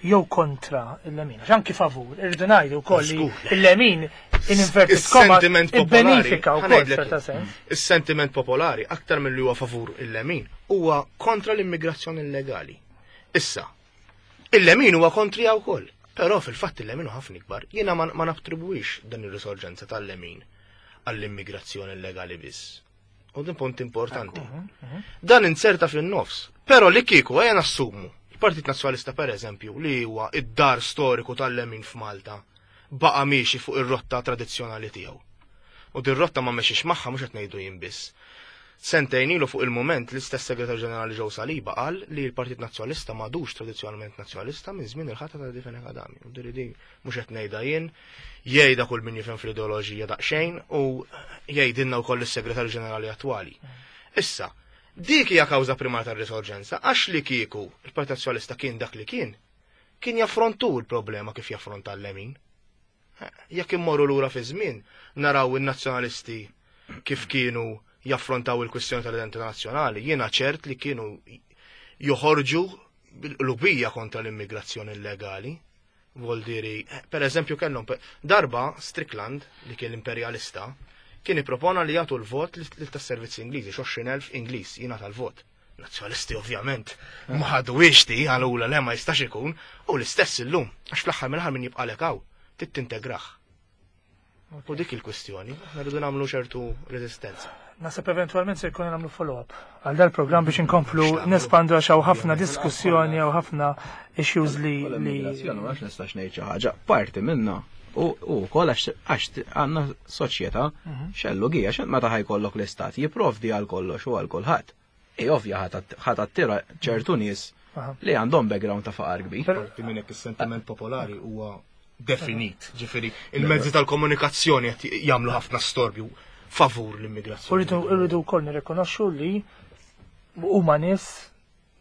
jew kontra il-lemin. Għax anki favur, irridu ngħidu wkoll li Żgur. il-lemin in inverted commas Is-sentiment popolari. ibbenifika wkoll ħa ngħidlek f'ċerta sens. Is-sentiment popolari aktar milli huwa favur il-lemin huwa kontra l-immigrazzjoni illegali. Issa, il-lemin huwa kontrija wkoll. Però fil-fatt il-lemin huwa ħafna ikbar. Jiena ma, ma nattribwix dan ir-risorġenza tal-lemin għall-immigrazzjoni illegali biss. U din punt importanti. Dan inserta fin-nofs. Però li kieku ejja nassumu il-Partit Nazzjonalista per eżempju li huwa id-dar storiku tal-lemin f'Malta baqa' miexi fuq ir-rotta tradizzjonali tiegħu. U din rotta ma mexiex magħha mhux qed ngħidu jien biss. Sentejn ilu fuq il-moment l-istess segretarju ġenerali Joe Saliba qal li l-Partit Nazzjonalista m'għadux tradizzjonalment nazzjonalista minn żmien il-ħatra ta' Eddie Fenech Adami. U din din mhux qed ngħidha jien, jgħidha kull min jifhem fl-ideoloġija daqsxejn u jgħidilna wkoll is-segretarju ġenerali attwali. Issa, dik hija kawża primarja tar-risorġenza għax li kieku il-Partit Nazzjonalista kien dak li kien, kien jaffrontu l-problema kif jaffronta l-lemin. Jekk immorru lura fi żmien, naraw in-nazzjonalisti kif kienu jaffrontaw il-kwistjoni tal-identità nazzjonali, jiena ċert li kienu joħorġu bil-qlubija kontra l-immigrazzjoni illegali. Voldiri, per eżempju kellhom pe- darba Strickland, li kien l-imperialista, kien ippropona li jagħtu l-vot lil tas-servizzi Ingliżi, għoxrin elf Ingliż jingħata l-vot. Nazzjonalisti ovvjament ma ħaduhiex di għalula le ma jistax ikun, u l-istess illum, għax fl-aħħar mill-aħħar min jibqalek hawn, trid tintegrah. U dik il-kwistjoni, aħna rridu nagħmlu ċertu reżistenza. Naħseb eventualment se jkun nagħmlu follow-up għal dal-programm biex inkomplu nespandu għax hawn ħafna diskussjoni hawn ħafna issues li li L-immigrazzjoni ma nistax ngħid xi ħaġa, parti minna u u wkoll għax għax għandna soċjetà xellugija x'int meta ħajkollok l-istat jipprovdi għal kollox u għal kulħadd. I ovvja ħa tattira ċertu nies Aha. li għandhom background ta' faqar kbir. Parti minn hekk is-sentiment popolari huwa definit, ġifieri il-mezzi tal-komunikazzjoni qed jagħmlu ħafna storbju favur l-immigrazzjoni. Rridu rridu wkoll nirrikonoxxu li huma nies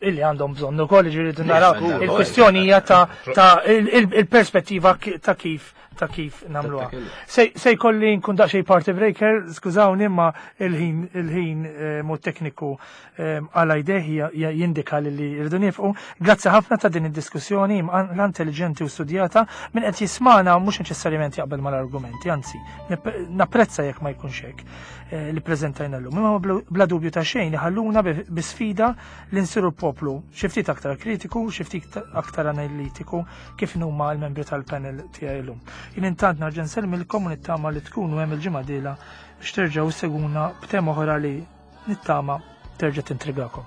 illi għandhom bżonn ukoll ġifieri naraw żgur. il-kwestjoni hija ta' ta' il- il- il-perspettiva ki- ta' kif ta' kif nagħmluha. Se se jkolli nkun daqsxejn party breaker, skużawni imma il-ħin il-ħin eh, mod tekniku eh, għala jdeh jindika li li rridu nifqu. Grazzi ħafna ta' din id-diskussjoni l intelligenti u studjata min qed jismana mhux neċessarjament jaqbel mal-argumenti, anzi, nip- napprezza jekk ma jkunx hekk eh, li preżentajna llum. Imma bla- bla dubju ta' xejn ħalluna bi bi sfida li nsiru l-poplu xi ftit aktar kritiku, xi ftit aktar analitiku kif huma l-membri tal-panel tiegħi llum. Jien intant nerġa' nsellmilkom u nittama li tkunu hemm il-ġimgħa dieħla biex terġgħu seguna b'tema oħra li nittama terġa' tintrigakom.